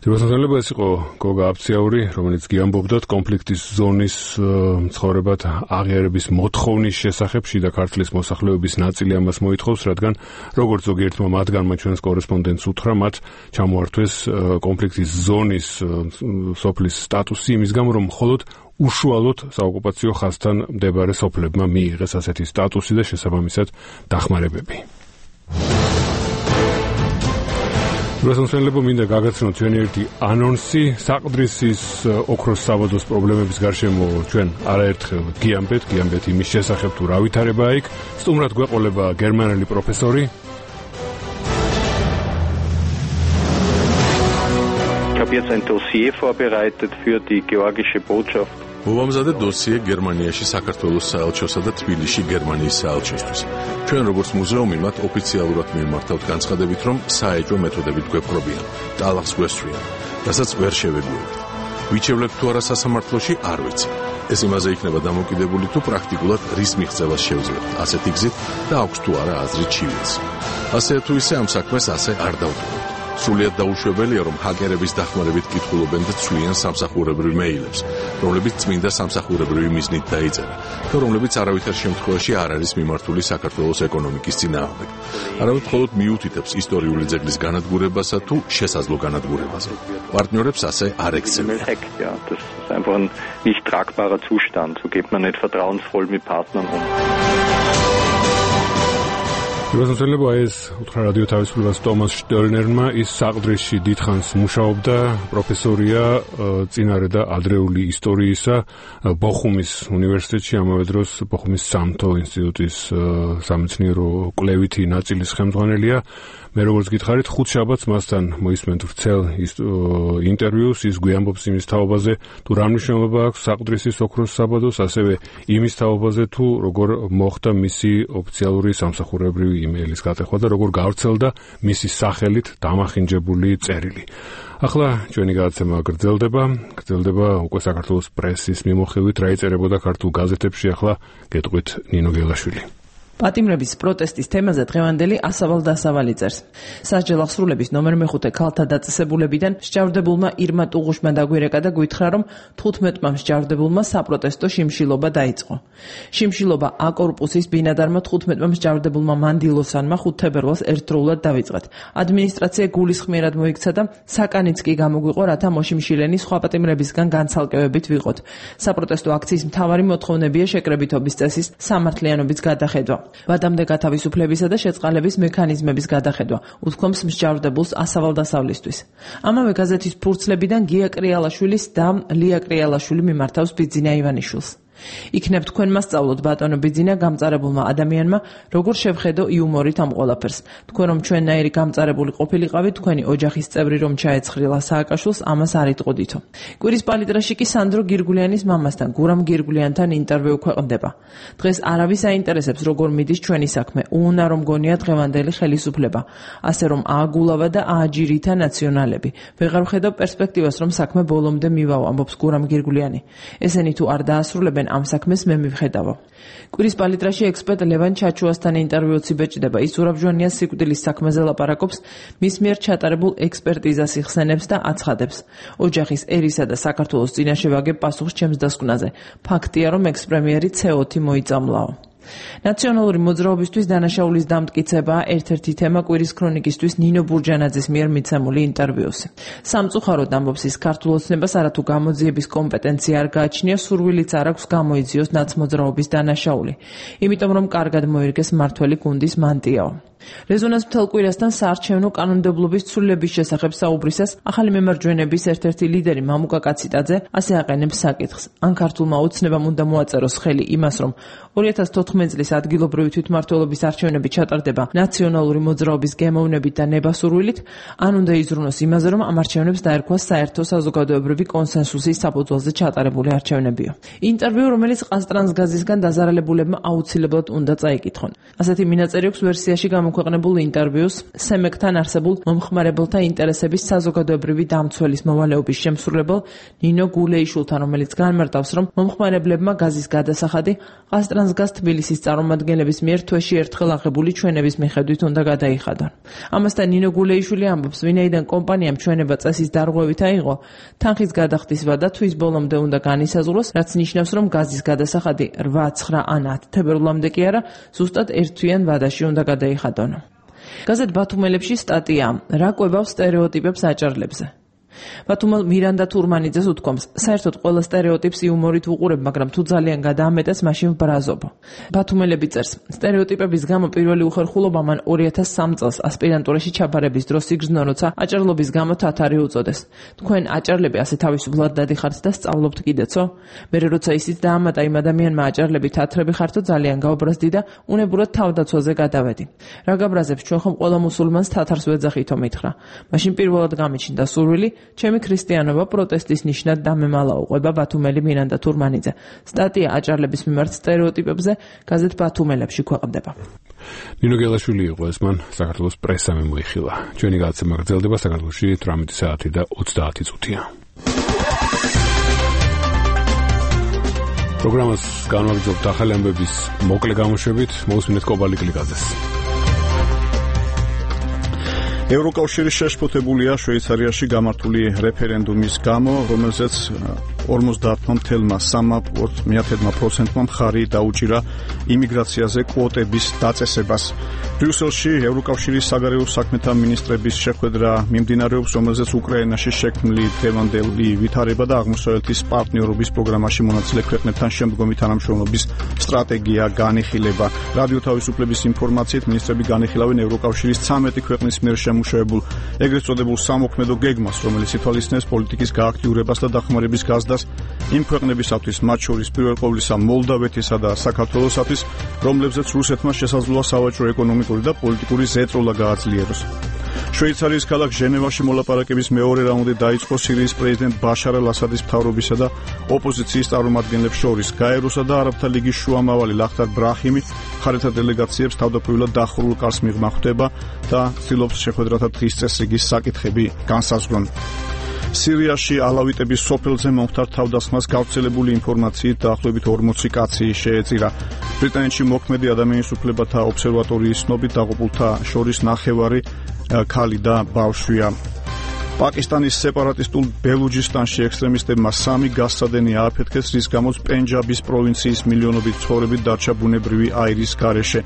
ძირითადად ეს იყო გოგა აფციაური, რომელიც გიამბობდათ კონფლიქტის ზონის მცხოვრებად აღიარების მოთხოვნის შესახებ. შიდა ქართლის მოსახლეობის ნაწილი ამას მოითხოვს, რადგან როგორც ზოგიერთმა მათგანმა ჩვენს კორესპონდენტს უთხრა, მათ ჩამოართვეს კონფლიქტის ზონის სოფლის სტატუსი იმის გამო, რომ მხოლოდ უშუალოდ საოკუპაციო ხაზთან მდებარე სოფლებმა მიიღეს ასეთი სტატუსი და შესაბამისად დახმარებები. რუსონსელებო მინდა გაგაცნოთ ჩვენი ერთი ანონსი საყდრისის ოქროს საბადოს პრობლემების გარშემო ჩვენ არაერთხელ გიამბეთ იმის შესახებ თუ რა ვითარებაა იქ სტუმრად გვეყოლება გერმანელი პროფესორი Ich habe jetzt ein Dossier vorbereitet für die georgische Botschaft. მოვამზადე დოსიე გერმანიაში საქართველოს საელჩოსა და თბილისში გერმანიის საელჩოსთვის. ჩვენ როგორც მუზეუმი მათ ოფიციალურად მიმართავთ განცხადებით, რომ საეჭვო მეთოდებით გვეპყრობიან, ტალახს გვესწრიან, რასაც ვერ შევეგუებთ. ვიჩევლებთ თუ არა სასამართლოში, არ ვიცი. ეს იმაზე იქნება დამოკიდებული, თუ პრაქტიკულად რის მიღწევას შევძლებთ, ასეთი გზით და აქვს თუ არა აზრით ჩივიდეს. ასე თუ ისე ამ საქმეს ასე არ დავტოვებთ. სრულიად დაუშვებელია, რომ ჰაკერების დახმარებით კითხულობენ და ცვლიან სამსახურებრივ მეილებს, რომლებიც წმინდა სამსახურებრივი მიზნით დაიწერა და რომლებიც არავითარ შემთხვევაში არ არის მიმართული საქართველოს ეკონომიკის წინააღმდეგ. არავით მხოლოდ მიუთითებს ისტორიული ძეგლის განადგურებასა თუ შესაძლო განადგურებაზე. პარტნიორებს ასე არ ექცევიან. Das ist einfach ein nicht tragbarer Zustand. So geht man nicht vertrauensvoll mit Partnern um. რუსონსელებო ეს უთხრა რადიო თავისუფლებას ტომას შტერნერმა ის საყდრისში დიდხანს მუშაობდა პროფესორია წინარე და ადრეული ისტორიისა ბოხუმის უნივერსიტეტში ამავე დროს ბოხუმის სამთო ინსტიტუტის სამეცნიერო კვლევითი ნაწილის ხელმძღვანელია მე როგორც გითხარით ხუთ შაბათს მასთან მოისმენთ ვრცელ ინტერვიუს ის გვიამბობს იმის თაობაზე თუ რა მნიშვნელობა აქვს საყდრისის ოქროს საბადოს ასევე იმის თაობაზე თუ როგორ მოხდა მისი ოფიციალური სამსახურებრივი იმეილის გატეხვა და როგორ გავრცელდა მისი სახელით დამახინჯებული წერილი. ახლა ჩვენი გადაცემა გრძელდება უკვე საქართველოს პრესის მიმოხილვით რა იწერებოდა ქართულ გაზეთებში ახლა გეტყვით ნინო გელაშვილი. პატიმრების პროტესტის თემაზე დღევანდელი ასავალ დასავალი წერს. სასჯელ აღსრულების ნომერ მე-5 ქალთა დაწესებულებიდან მსჯავრდებულმა ირმა ტუღუშმა დაგვირეკა და გვითხრა, რომ 15-მა მსჯავრდებულმა საპროტესტო შიმშილობა დაიწყო. შიმშილობა A კორპუსის ბინადარმა 15-მა მსჯავრდებულმა მანდილოსანმა 5 თებერვალს ერთდროულად დავიწყეთ. ადმინისტრაცია გულისხმიერად მოიქცა და საკანიც კი გამოგვიყო, რათა მოშიმშილენი სხვა პატიმრებისგან განცალკევებით ვიყოთ. საპროტესტო აქციის მთავარი მოთხოვნებია შეკრებითობის წესის სამართლიანობის გადახედვა. ვადამდე გათავისუფლებისა და შეწყალების მექანიზმების გადახედვა უთქვამს მსჯავრდებულს ასავალდასავლისთვის. ამავე გაზეთის ფურცლებიდან გია კრიალაშვილის და ლია კრიალაშვილი მიმართავს ბიძინა ივანიშვილს. იქნებ თქვენ მასწავლოთ ბატონო ბიძინა გამწარებულმა ადამიანმა როგორ შევხედო იუმორით ამ ყველაფერს. თქვენ რომ ჩვენნაირი გამწარებული ყოფილიყავით თქვენი ოჯახის წევრი რომ ჩაეცხრილა სააკაშვილს ამას არ იტყოდითო. კვირის პალიტრაში კი სანდრო გირგულიანის მამასთან გურამ გირგულიანთან ინტერვიუ ქვეყნდება. დღეს არავის აინტერესებს როგორ მიდის ჩვენი საქმე. უუნარო მგონია დღევანდელი ხელისუფლება. ასე რომ ააგულავა და ააჯირითა ნაციონალები. ვეღარ ვხედავ პერსპექტივას რომ საქმე ბოლომდე მივავა ამბობს გურამ გირგულიანი. ესენი თუ არ დაასრულებენ ამ საქმეს მე მივხედავო. კვირის პალიტრაში ექსპერტ ლევან ჩაჩუასთან ინტერვიუც იბეჭდება. ის ზურაბჟვანია სიკვდილის საქმეზე ლაპარაკობს, მის მიერ ჩატარებულ ექსპერტიზას იხსენებს და აცხადებს. ოჯახის ერისა და საქართველოს წინაშე ვაგებ პასუხს ჩემს დასკვნაზე. ფაქტია, რომ ექს-პრემიერი C4 მოიწამლაო. ნაციონალური მოძრაობისთვის დანაშაულის დამტკიცებაა ერთ-ერთი თემა კვირის ქრონიკისთვის ნინო ბურჯანაძის მიერ მიცემული ინტერვიუსი. სამწუხაროდ ამბობს ის ქართულ ოცნებას არათუ გამოძიების კომპეტენცია არ გააჩნია, სურვილიც არ აქვს გამოიძიოს ნაცმოძრაობის დანაშაული. იმიტომ რომ კარგად მოერგეს მართველი გუნდის მანტიაო. რეზონანს მთელ კვირასთან საარჩევნო კანონმდებლობის ცვლილების შესახებ საუბრისას ახალი მემარჯვენების ერთ-ერთი ლიდერი მამუკა კაციტაძე ასე აყენებს საკითხს. ან ქართულმა ოცნებამ უნდა მოაწეროს ხელი იმას, რომ 2014 წლის ადგილობრივი თვითმმართველობის არჩევნები ჩატარდება ნაციონალური მოძრაობის გემოვნებით და ნებასურვილით, ან უნდა იზრუნოს იმაზე, რომ ამ არჩევნებს დაერქვას საერთო საზოგადოებრივი კონსენსუსის საფუძველზე ჩატარებული არჩევნებიო. ინტერვიუ, რომელიც ყაზტრანსგაზისგან დაზარალებულებმა აუცილებლად უნდა წაიკითხონ. ასეთი მინაწერი აქვს ვერსიაში გამოქვეყნებულ ინტერვიუს სემეკთან არსებულ მომხმარებელთა ინტერესების საზოგადოებრივი დამცველის მოვალეობის შემსრულებელ ნინო გულეიშვილთან, რომელიც განმარტავს, რომ მომხმარებლებმა გაზის გადასახადი ყაზტრანსგაზ თბილისის წარმომადგენლების მიერ თვეში ერთხელ აღებული ჩვენების მიხედვით უნდა გადაიხადონ. ამასთან ნინო გულეიშვილი ამბობს, ვინაიდან კომპანიამ ჩვენება წესის დარღვევით აიღო, თანხის გადახდის ვადა თვის ბოლომდე უნდა განისაზღვროს, რაც ნიშნავს, რომ გაზის გადასახადი 8, 9 ან 10 თებერვლამდე კი არა, ზუსტად ერთთვიან ვადაში უნდა გადაიხადონ. გაზეთ ბათუმელებში სტატია რა კვებავს სტერეოტიპებს აჭარლებზე. ბათუმელ მირანდა თურმანიძეს უთქვამს, საერთოდ ყველა სტერეოტიპს იუმორით ვუყურებ, მაგრამ თუ ძალიან გადაამეტეს, მაშინ ვბრაზობ. ბათუმელები წერს, სტერეოტიპების გამო პირველი უხერხულობა მან 2003 წელს ასპირანტურაში ჩაბარების დროს იგრძნო, როცა აჭარლობის გამო თათარი უწოდეს. თქვენ აჭარლები ასე თავისუფლად დადიხართ და სწავლობთ კიდეცო? მერე როცა ისიც დაამატა იმ ადამიანმა აჭარლები თათრები ხართო ძალიან გაუბრაზდი და უნებურად თავდაცვაზე გადავედი. რა გაბრაზებს ჩვენ ხომ ყველა მუსულმანს თათარს ვეძახითო მითხრა. მაშინ პირველად გამიჩნდა სურვილი, ჩემი ქრისტიანობა პროტესტის ნიშნად დამემალა უყვება ბათუმელი მირანდა თურმანიძე. სტატია აჭარლების მიმართ სტერეოტიპებზე გაზეთ ბათუმელებში ქვეყნდება. ნინო გელაშვილი იყო ეს მან საქართველოს პრესა მოიხილა. ჩვენი გადაცემა გრძელდება საქართველოში 18 საათი და 30 წუთია. პროგრამას განვაგრძობთ ახალი ამბების მოკლე გამოშვებით, მოусმინეთ კობალი კლიკაძეს. ევროკავშირი შეშფოთებულია შვეიცარიაში გამართული რეფერენდუმის გამო, რომელზეც 50.3% მხარი დაუჭირა იმიგრაციაზე კვოტების დაწესებას. ბრიუსელში ევროკავშირის საგარეო საქმეთა მინისტრების შეხვედრა მიმდინარეობს, რომელზეც უკრაინაში შექმნილი დღევანდელი ვითარება და აღმოსავლეთის პარტნიორობის პროგრამაში მონაწილე ქვეყნებთან შემდგომი თანამშრომლობის სტრატეგია განიხილება. რადიო თავისუფლების ინფორმაციით მინისტრები განიხილავენ ევროკავშირის 13 ქვეყნის მიერ შემუშავებულ ეგრეთ წოდებულ სამოქმედო გეგმას, რომელიც ითვალისწინებს პოლიტიკის გააქტიურებას და დახმარების გაზრდას იმ ქვეყნებისათვის, მათ შორის პირველ ყოვლისა მოლდავეთისა და საქართველოსათვის, რომლებზეც რუსეთმა შესაძლოა სავაჭრო, ეკონომიკური და პოლიტიკური ზეწოლა გააძლიეროს. შვეიცარიის ქალაქ ჟენევაში მოლაპარაკების მეორე რაუნდი დაიწყო სირიის პრეზიდენტ ბაშარ ალ-ასადის მთავრობისა და ოპოზიციის წარმომადგენლებს შორის. გაეროსა და არაბთა ლიგის შუამავალი ლახტარ ბრაჰიმი მხარეთა დელეგაციებს თავდაპირველად დახურულ კარს მიღმა ხვდება და ცდილობს შეხვედრათა დღის წესრიგის საკითხები განსაზღვრონ. სირიაში ალავიტების სოფელზე მომხდარ თავდასხმას გავრცელებული ინფორმაციით დაახლოებით 40 კაცი შეეწირა. ბრიტანეთში მოქმედი ადამიანის უფლებათა ობსერვატორიის ცნობით დაღუპულთა შორის ნახევარი ქალი და ბავშვია. პაკისტანის სეპარატისტულ ბელუჯისტანში ექსტრემისტებმა 3 გასცადენი ააფეთქეს, რის გამოც პენჯაბის პროვინციის მილიონობით ცხოვრებით დარჩა ბუნებრივი აირის გარეშე.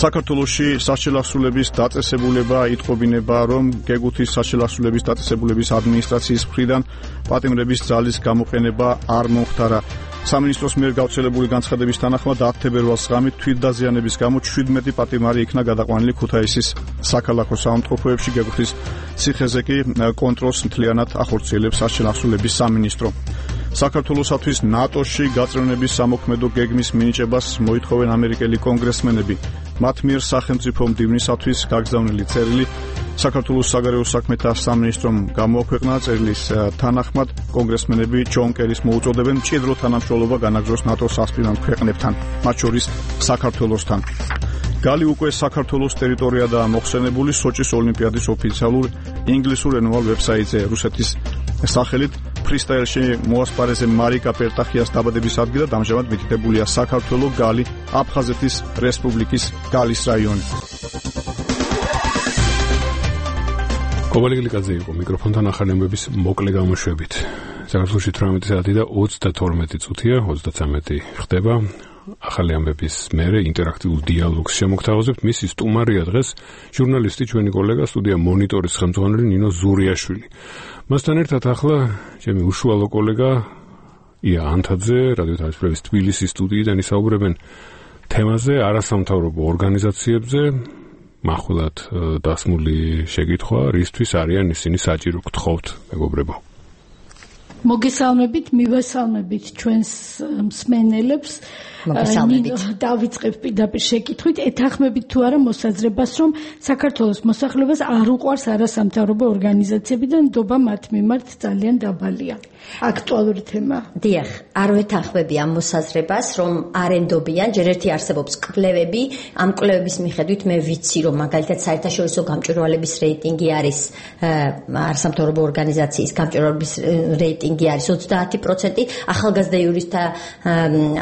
საქართველოში საშელახსულების დაწესებულება იტყობინება, რომ გეგუთის საშელახსულების დაწესებულების ადმინისტრაციის მხრიდან პატიმრების ძალის გამოყენება არ მომხდარა. სამინისტროს მიერ გავრცელებული განცხადების თანახმად 10 თებერვალს ღამით თვითდაზიანების გამო 17 პატიმარი იქნა გადაყვანილი ქუთაისის საქალაქო საავადმყოფოებში. გეგუთის ციხეზე კი კონტროლს მთლიანად ახორციელებს საშელახსულების სამინისტრო. საქართველოსათვის ნატოში გაწევრიანების სამოქმედო გეგმის მინიჭებას მოითხოვენ ამერიკელი კონგრესმენები. მათ მიერ სახელმწიფო მდივნისათვის გაგზავნილი წერილი საქართველოს საგარეო საქმეთა სამინისტრომ გამოაქვეყნა. წერილის თანახმად კონგრესმენები ჯონ კერის მოუწოდებენ მჭიდრო თანამშრომლობა განაგრძოს ნატოს ასპირანტ ქვეყნებთან, მათ შორის საქართველოსთან. გალი უკვე საქართველოს ტერიტორიადაა მოხსენებული სოჭის ოლიმპიადის ოფიციალურ ინგლისურენოვან ვებსაიტზე. რუსეთის სახელით ფრისტაილში მოასპარეზე მარიკა პერტახიას დაბადების ადგილად ამჟამად მითითებულია საქართველო, გალი, აფხაზეთის რესპუბლიკის გალის რაიონი. კობალი კლიკაძე იყო მიკროფონთან ახალი ამბების მოკლე გამოშვებით. საქართველოში 18 საათი და 32 წუთია, 33 ხდება. ახალი ამბების მერე ინტერაქტიულ დიალოგს შემოგთავაზებთ. მისი სტუმარია დღეს ჟურნალისტი, ჩვენი კოლეგა, სტუდია მონიტორის ხელმძღვანელი ნინო ზურიაშვილი. მასთან ერთად ახლა ჩემი უშუალო კოლეგა ია ანთაძე, რადიო თავისუფლების თბილისის სტუდიიდან ისაუბრებენ თემაზე, არასამთავრობო ორგანიზაციებზე. მახვილად დასმული შეკითხვა, რისთვის არიან ისინი საჭირო, გთხოვთ, მეგობრებო. მოგესალმებით, მივესალმებით ჩვენს მსმენელებს. დავიწყებ პირდაპირ შეკითხვით, ეთანხმებით თუ არა მოსაზრებას, რომ საქართველოს მოსახლეობას არ უყვარს არასამთავრობო ორგანიზაციები და ნდობა მათ მიმართ ძალიან დაბალია. აქტუალური თემა. დიახ, არ ვეთანხმები ამ მოსაზრებას, რომ არ ენდობიან, ჯერ ერთი არსებობს კვლევები, ამ კვლევების მიხედვით მე ვიცი, რომ მაგალითად საერთაშორისო გამჭვირვალების რეიტინგი არის არასამთავრობო ორგანიზაციის გამჭვირვალების რეიტინგი არის 30%, ახალგაზრდა იურისტთა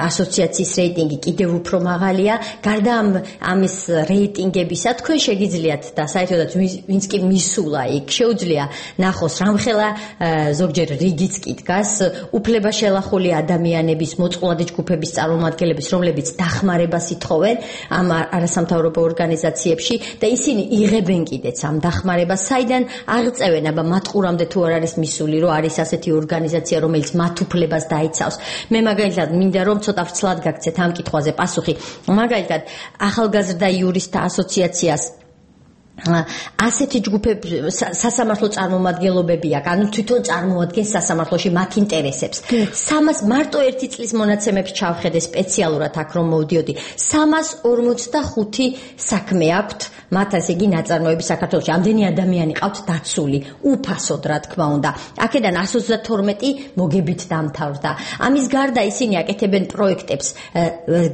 ასოციაციის კომიტეტის რეიტინგი კიდევ უფრო მაღალია. გარდა ამის რეიტინგებისა, თქვენ შეგიძლიათ და საერთოდაც ვინც კი მისულა იქ, შეუძლია ნახოს რამხელა ზოგჯერ რიგიც კი დგას უფლება შელახული ადამიანების, მოწყვლადი ჯგუფების წარმომადგენლების, რომლებიც დახმარებას ითხოვენ ამ არასამთავრობო ორგანიზაციებში და ისინი იღებენ კიდეც ამ დახმარებას, საიდან აღწევენ, აბა მათყურამდე თუ არ არის მისული, რომ არის ასეთი ორგანიზაცია, რომელიც მათ უფლებას დაიცავს. მე მაგალითად მინდა რომ ცოტა ვრცლად გაგცეთ ამ კითხვაზე პასუხი. მაგალითად, ახალგაზრდა იურისტთა ასოციაციას ასეთი ჯგუფები სასამართლო წარმომადგენლობები აქვს, ანუ თვითონ წარმოადგენს სასამართლოში მათ ინტერესებს. 300 მარტო ერთი წლის მონაცემებს ჩავხედე სპეციალურად აქ რომ მოვდიოდი. 345 საქმე აქვთ მათ ასე იგი ნაწარმოები საქართველოში. ამდენი ადამიანი ყავთ დაცული, უფასოდ რა თქმა უნდა. აქედან 132 მოგებით დამთავრდა. ამის გარდა ისინი აკეთებენ პროექტებს,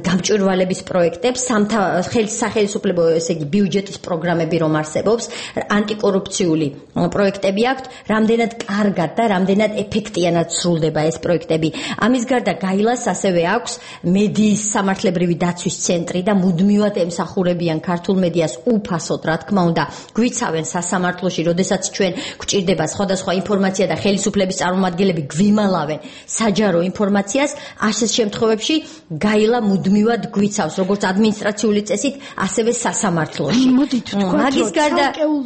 გამჭვირვალების პროექტებს, სახელმწიფო ესე იგი ბიუჯეტის პროგრამები რომ არსებობს, ანტიკორუფციული პროექტები აქვთ, რამდენად კარგად და რამდენად ეფექტიანად სრულდება ეს პროექტები. ამის გარდა გაილას ასევე აქვს მედიის სამართლებრივი დაცვის ცენტრი და მუდმივად ემსახურებიან ქართულ მედიას უფასოდ, რა თქმა უნდა, გვიცავენ სასამართლოში, როდესაც ჩვენ გვჭირდება სხვადასხვა ინფორმაცია და ხელისუფლების წარმომადგენლები გვიმალავენ საჯარო ინფორმაციას, ასეთ შემთხვევებში გაილა მუდმივად გვიცავს, როგორც ადმინისტრაციული წესით, ასევე სასამართლოში. მოდით თქვა ცალკეულ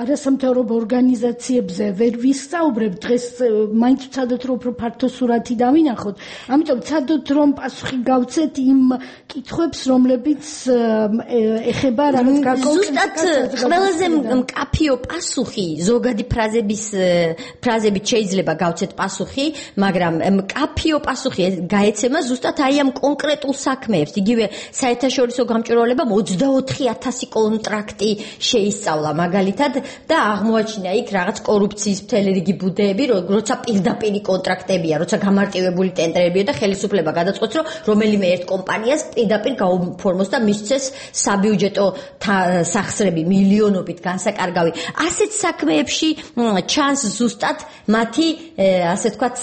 არასამთავრობო ორგანიზაციებზე ვერ ვისწაუბრებ დღეს, მაინც ვცადოთ რომ უფრო ფართო სურათი დავინახოთ. ამიტომ ვცადოთ რომ პასუხი გავცეთ იმ კითხვებს, რომლებიც ეხება რაღაც ზუსტად ყველაზე მკაფიო პასუხი, ზოგადი ფრაზებით შეიძლება გავცეთ პასუხი, მაგრამ მკაფიო პასუხი გაეცემა ზუსტად აი ამ კონკრეტულ საქმეებს. იგივე საერთაშორისო გამჭვირვალებამ 24,000 კონტრაქტი შეისწავლა მაგალითად და აღმოაჩინა იქ რაღაც კორუფციის მთელი რიგი ბუდეები, როცა პირდაპირი კონტრაქტებია, როცა გამარტივებული ტენდერებია და ხელისუფლება გადაწყვეტს, რომ რომელიმე ერთ კომპანიას პირდაპირ გაუფორმოს და მისცეს საბიუჯეტო სახსრები მილიონობით განსაკარგავი. ასეთ საქმეებში ჩანს ზუსტად მათი ასე ვთქვათ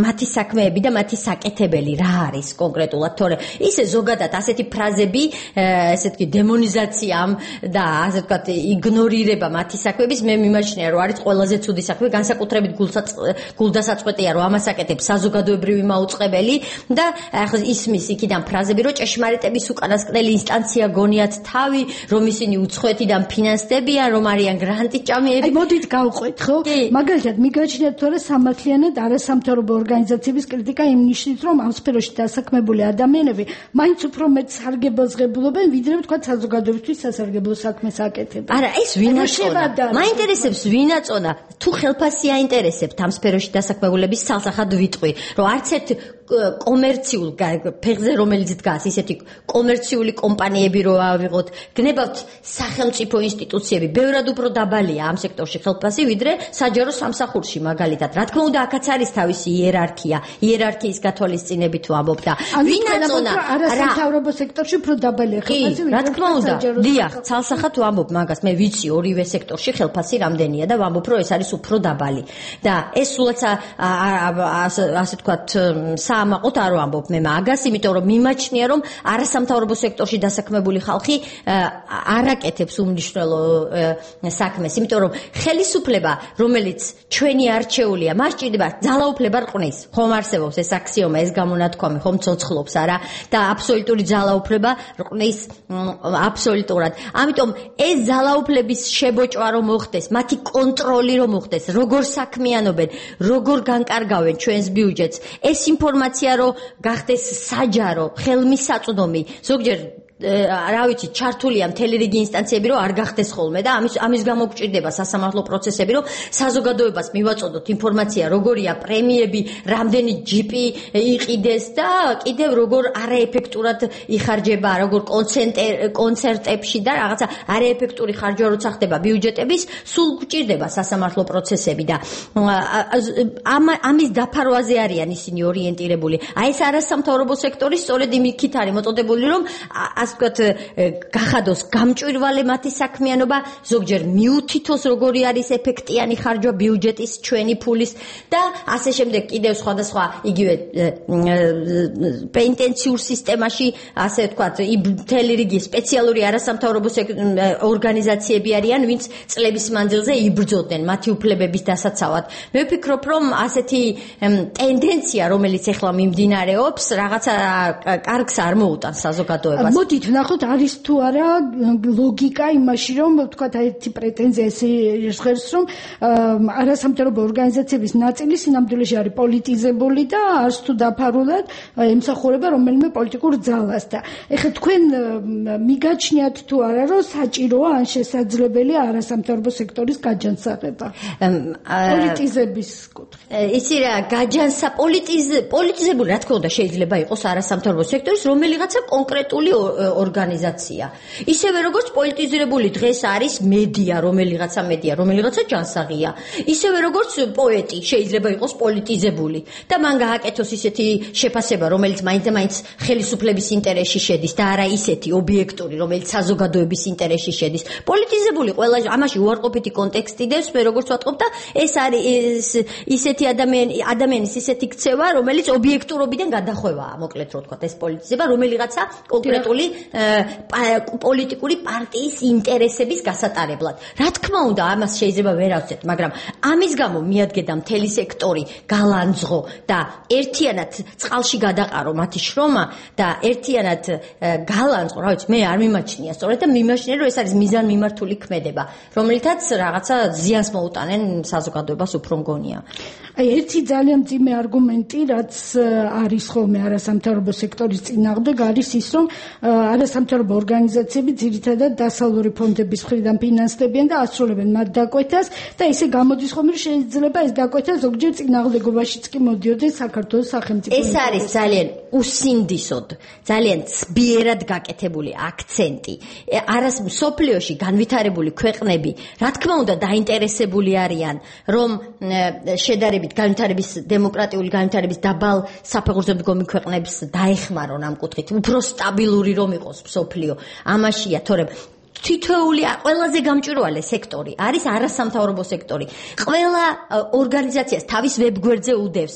მათი საქმეები და მათი საკეთებელი რა არის კონკრეტულად, თორე ისე ზოგადად ასეთი ფრაზები, ესე ვთქვი დემონიზაცია და ასე ვთქვათ იგნორირება მათი საქმეების მე მიმაჩნია რომ არის ყველაზე ცუდი საქმე, განსაკუთრებით გულდასაწყვეტია რომ ამას აკეთებს საზოგადოებრივი მაუწყებელი და ახლა ისმის იქიდან ფრაზები რომ ჭეშმარიტების უკანასკნელი ინსტანცია გონიათ თავი, რომ ისინი უცხოეთიდან ფინანსდებიან, რომ არიან გრანტიჭამიები. აი მოდით გავყვეთ, ხო? მაგალითად მიგაჩნიათ თორე სამართლიანად არასამთავრობო ორგანიზაციების კრიტიკა იმ ნიშნით, რომ ამ სფეროში დასაქმებული ადამიანები მაინც უფრო მეტ სარგებელს ღებულობენ, ვიდრე ვთქვათ საზოგადოებისთვის სასარგებლო საქმეს აკეთებენ. არა, ეს ვინაწონა. მაინტერესებს ვინაწონა, თუ ხელფასი აინტერესებთ ამ სფეროში დასაქმებულების სალსახად ვიტყვი, რომ არც ერთ კომერციულ ფეხზე რომელიც დგას ისეთი კომერციული კომპანიები რო ავიღოთ, გნებავთ სახელმწიფო ინსტიტუციები, ბევრად უფრო დაბალია ამ სექტორში ხელფასი, ვიდრე საჯარო სამსახურში მაგალითად. რა თქმა უნდა, აქაც არის თავისი იერარქიის გათვალისწინებით ვამბობ და ვინაწონა არასამთავრობო სექტორში უფრო დაბალია ხელფასი, რა თქმა უნდა, დიახ, ცალსახად ვამბობ მაგას, მე ვიცი ორივე სექტორში ხელფასი რამდენია და ვამბობ, რომ ეს არის უფრო დაბალი. და ეს სულაც ასე ვთქვათ ამაყოთ არ ვამბობ მე მაგას, იმიტომ რომ მიმაჩნია რომ არასამთავრობო სექტორში დასაქმებული ხალხი არ აკეთებს უმნიშვნელო საქმეს, იმიტომ რომ ხელისუფლება, რომელიც ჩვენი არჩეულია, მას ჭირდება ძალაუფლება რყნის. ხომ არსებობს ეს აქსიომა, ეს გამონათქვამი, ხომ ცოცხლობს არა და აბსოლუტური ძალაუფლება რყნის აბსოლუტურად. ამიტომ ეს ძალაუფლების შებოჭვა რომ მოხდეს, მათი კონტროლი რომ მოხდეს, როგორ საქმიანობენ, როგორ განკარგავენ ჩვენს ბიუჯეტს, ეს ინფორმაცია რომ გახდეს საჯარო, ხელმისაწვდომი, ზოგჯერ რა ვიცი, ჩართულია მთელი რიგი ინსტანციები, რომ არ გახდეს ხოლმე და ამის გამო გვჭირდება სასამართლო პროცესები, რომ საზოგადოებას მივაწოდოთ ინფორმაცია, როგორია პრემიები, რამდენი ჯიპი იყიდეს და კიდევ როგორ არაეფექტურად იხარჯება, როგორ კონცერტებში და რაღაცა არაეფექტური ხარჯვა როცა ხდება ბიუჯეტების, სულ გვჭირდება სასამართლო პროცესები და ამის დაფარვაზე არიან ისინი ორიენტირებული. აი ეს არასამთავრობო სექტორი სწორედ იმით არის მოწოდებული, რომ ასე ვთქვათ, გახადოს გამჭვირვალე მათი საქმიანობა, ზოგჯერ მიუთითოს როგორი არის ეფექტიანი ხარჯვა ბიუჯეტის, ჩვენი ფულის და ასე შემდეგ კიდევ სხვადასხვა იგივე პენტენციურ სისტემაში, ასე ვთქვათ, მთელი რიგი სპეციალური არასამთავრობო ორგანიზაციები არიან, ვინც წლების მანძილზე იბრძოდნენ მათი უფლებების დასაცავად. მე ვფიქრობ, რომ ასეთი ტენდენცია, რომელიც ახლა მიმდინარეობს, რაღაცა კარგს არ მოუტანს საზოგადოებას. მოდით ვნახოთ, არის თუ არა ლოგიკა იმაში, რომ ვთქვათ, ერთი პრეტენზია ესე ჟღერს, რომ არასამთავრობო ორგანიზაციების ნაწილი სინამდვილეში არის პოლიტიზებული და არც თუ დაფარულად ემსახურება რომელიმე პოლიტიკურ ძალას და ეხლა თქვენ მიგაჩნიათ თუ არა, რომ საჭიროა ან შესაძლებელია არასამთავრობო სექტორის გაჯანსაღება პოლიტიზების კუთხით. იცი რა, პოლიტიზებული რა თქმა უნდა შეიძლება იყოს არასამთავრობო სექტორის რომელიღაცა კონკრეტული ორგანიზაცია. ისევე როგორც პოლიტიზირებული დღეს არის მედია, რომელიღაცა ჯანსაღია. ისევე როგორც პოეტი შეიძლება იყოს პოლიტიზებული და მან გააკეთოს ისეთი შეფასება, რომელიც მაინც ხელისუფლების ინტერესში შედის და არა ისეთი ობიექტური, რომელიც საზოგადოების ინტერესში შედის. პოლიტიზებული ყველა ამაში უარყოფითი კონტექსტი დევს, მე როგორც ვატყობ და ეს არის ისეთი ადამიანის ისეთი ქცევა, რომელიც ობიექტურობიდან გადახვევაა, მოკლედ რო ვთქვათ, ეს პოლიტიზება, რომელიღაცა კონკრეტული პოლიტიკური პარტიის ინტერესების გასატარებლად. რა თქმა უნდა, ამას შეიძლება ვერ ავცეთ, მაგრამ ამის გამო მიადგება მთელი სექტორი გალანძღო და ერთიანად წყალში გადაყარო მათი შრომა და ერთიანად გალანძღო, რა ვიცი, მე არ მიმაჩნია სწორედ და მიმაჩნია, რომ ეს არის მიზანმიმართული ქმედება, რომელთაც რაღაცა ზიანს მოუტანენ საზოგადოებას უფრო მგონია. ერთი ძალიან მძიმე არგუმენტი, რაც არის ხოლმე არასამთავრობო სექტორის წინააღმდეგ, არის ის, რომ არასამთავრობო ორგანიზაციები ძირითადად დასავლური ფონდების მხრიდან ფინანსდებიან და ასრულებენ მათ დაკვეთას და ისე გამოდის ხოლმე, რომ შეიძლება ეს დაკვეთა ზოგჯერ წინააღმდეგობაშიც კი მოდიოდეს საქართველოს სახელმწიფო. ეს არის ძალიან უსინდისოდ, ძალიან ცბიერად გაკეთებული აქცენტი. მსოფლიოში განვითარებული ქვეყნები, რა თქმა უნდა, დაინტერესებული არიან, რომ შედარებით დემოკრატიული განვითარების დაბალ საფეხურზე მდგომი ქვეყნებს დაეხმარონ ამ კუთხით, უფრო სტაბილური რომ იყოს მსოფლიო. ამაშია, თორემ თითოეული ყველაზე გამჭვირვალე სექტორი არის არასამთავრობო სექტორი. ყველა ორგანიზაციას თავის ვებგვერდზე უდევს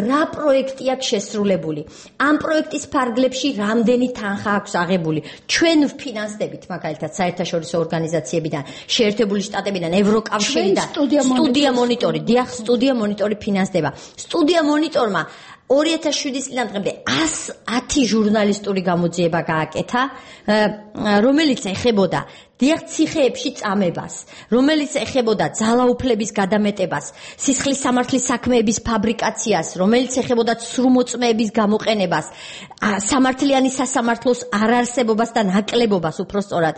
რა პროექტი აქვს შესრულებული. ამ პროექტის ფარგლებში რამდენი თანხა აქვს აღებული. ჩვენ ვფინანსდებით მაგალითად საერთაშორისო ორგანიზაციებიდან, შეერთებული შტატებიდან, ევროკავშირიდან, სტუდია მონიტორი, სტუდია მონიტორი ფინანსდება. სტუდია მონიტორმა 2007 წლიდან დღემდე 110 ჟურნალისტური გამოძიება გააკეთა, რომელიც ეხებოდა დიახ ციხეებში წამებას, რომელიც ეხებოდა ძალაუფლების გადამეტებას, სისხლის სამართლის საქმეების ფაბრიკაციას, რომელიც ეხებოდა ცრუმოწმეების გამოყენებას, სამართლიანი სასამართლოს არარსებობას და ნაკლებობას უпростоრად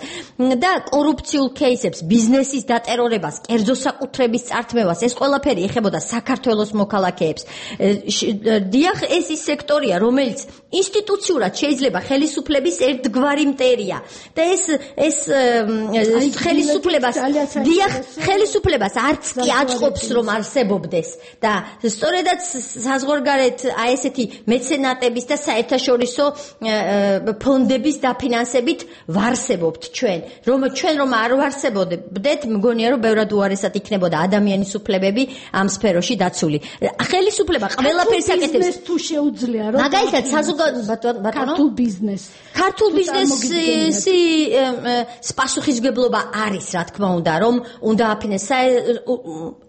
და კორუფციულ кейსებს, ბიზნესის დატერორებას, კერძო საკუთრების წართმევას, ეს ყველაფერი ეხებოდა საქართველოს მოქალაქეებს. დიახ, ეს ის სექტორია, რომელიც ინსტიტუციურად შეიძლება ხელისუფლების ერთგვარი მტერია და ეს ხელისუფლებას არც კი აწყობს რომ არსებობდეს და სწორედაც საზღვარგარეთ აი ესეთი მეცენატების და საერთაშორისო ფონდების დაფინანსებით ვარსებობთ ჩვენ რომ არ ვარსებობდეთ მგონია რომ ბევრად უარესად იქნებოდა ადამიანის უფლებები ამ სფეროში დაცული ხელისუფლება ყველაფერს აკეთებს თუ შეუძლია რომ მაგალითად ქართულ ბიზნესი პასუხისგებლობა არის, რა თქმა უნდა, რომ უნდა აფინანსოს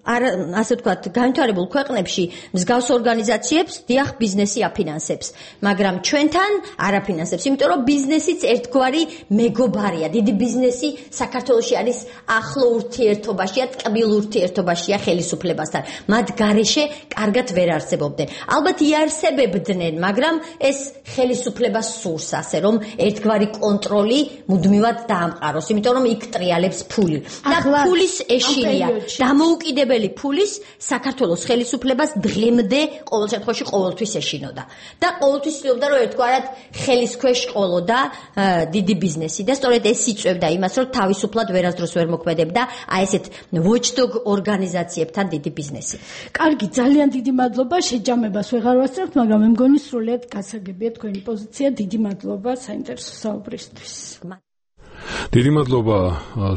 ასე ვთქვათ, განვითარებულ ქვეყნებში მსგავს ორგანიზაციებს დიახ ბიზნესი აფინანსებს, მაგრამ ჩვენთან არ აფინანსებს, იმიტომ რომ ბიზნესიც ერთგვარი მეგობარია. დიდი ბიზნესი საქართველოში არის ახლო ურთიერთობაშია, ტკბილ ურთიერთობაშია ხელისუფლებასთან. მათ გარეშე კარგად ვერ არსებობდნენ. ალბათ იარსებებდნენ, მაგრამ ეს ხელისუფლებას სურს ასე, რომ ერთგვარი კონტროლი მუდმივად დაამყაროს, იმიტომ რომ იქ ტრიალებს ფული. და ფულის ეშინია. დამოუკიდებელი ფულის საქართველოს ხელისუფლებას დღემდე ყოველ შემთხვევაში ყოველთვის ეშინოდა. და ყოველთვის ცდილობდა რომ ერთგვარად ხელის ქვეშ ყოლოდა დიდი ბიზნესი და სწორედ ეს იწვევდა იმას, რომ თავისუფლად ვერასდროს ვერ მოქმედებდა აი ესეთ watchdog ორგანიზაციებთან დიდი ბიზნესი. კარგი, ძალიან დიდი მადლობა, შეჯამებას ვეღარ ვასწრებთ, მაგრამ მე მგონი სრულიად გასაგებია. გასაგებია თქვენი პოზიცია. დიდი მადლობა საინტერესო საუბრისთვის. დიდი მადლობა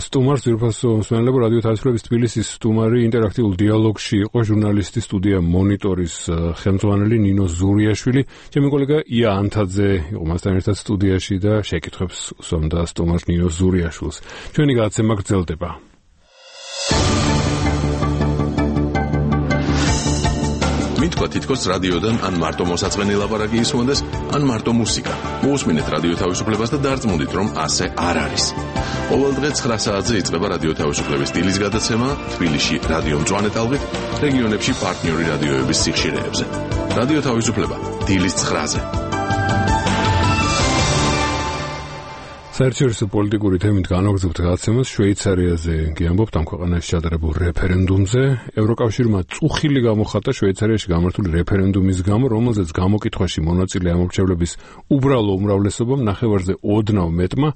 სტუმარს, ძირფასო მსმენელებო, რადიო თავისუფლების თბილისის სტუმარი ინტერაქტიულ დიალოგში იყო ჟურნალისტი, სტუდია მონიტორის ხელმძღვანელი ნინო ზურიაშვილი. ჩემი კოლეგა ია ანთაძე იყო მასთან ერთად სტუდიაში და შეკითხვებს უსვამდა სტუმარს ნინო ზურიაშვილს. ჩვენი გადაცემა გრძელდება. მითქვა თითქოს რადიოდან ან მარტო მოსაწყენი ლაპარაკი ისმონდეს, ან მარტო მუსიკა. მოусმინეთ რადიო თავისუფლებას და დარწმუნდით, რომ ასე არ არის. ყოველ დღე 9 საათზე იწყება რადიო თავისუფლების დილის გადაცემა თბილისში რადიო მწვანე ტალღით, რეგიონებში პარტნიორი რადიოების სიხშირეებზე. რადიო თავისუფლება დილის 9-ზე. საერთაშორისო პოლიტიკური თემით განვაგრძობთ გადაცემას შვეიცარიაზე გიამბობთ ამ ქვეყანაში ჩატარებულ რეფერენდუმზე. ევროკავშირმა წუხილი გამოხატა შვეიცარიაში გამართული რეფერენდუმის გამო, რომელზეც გამოკითხვაში მონაწილე ამორჩევლების უბრალო უმრავლესობამ ნახევარზე ოდნავ მეტმა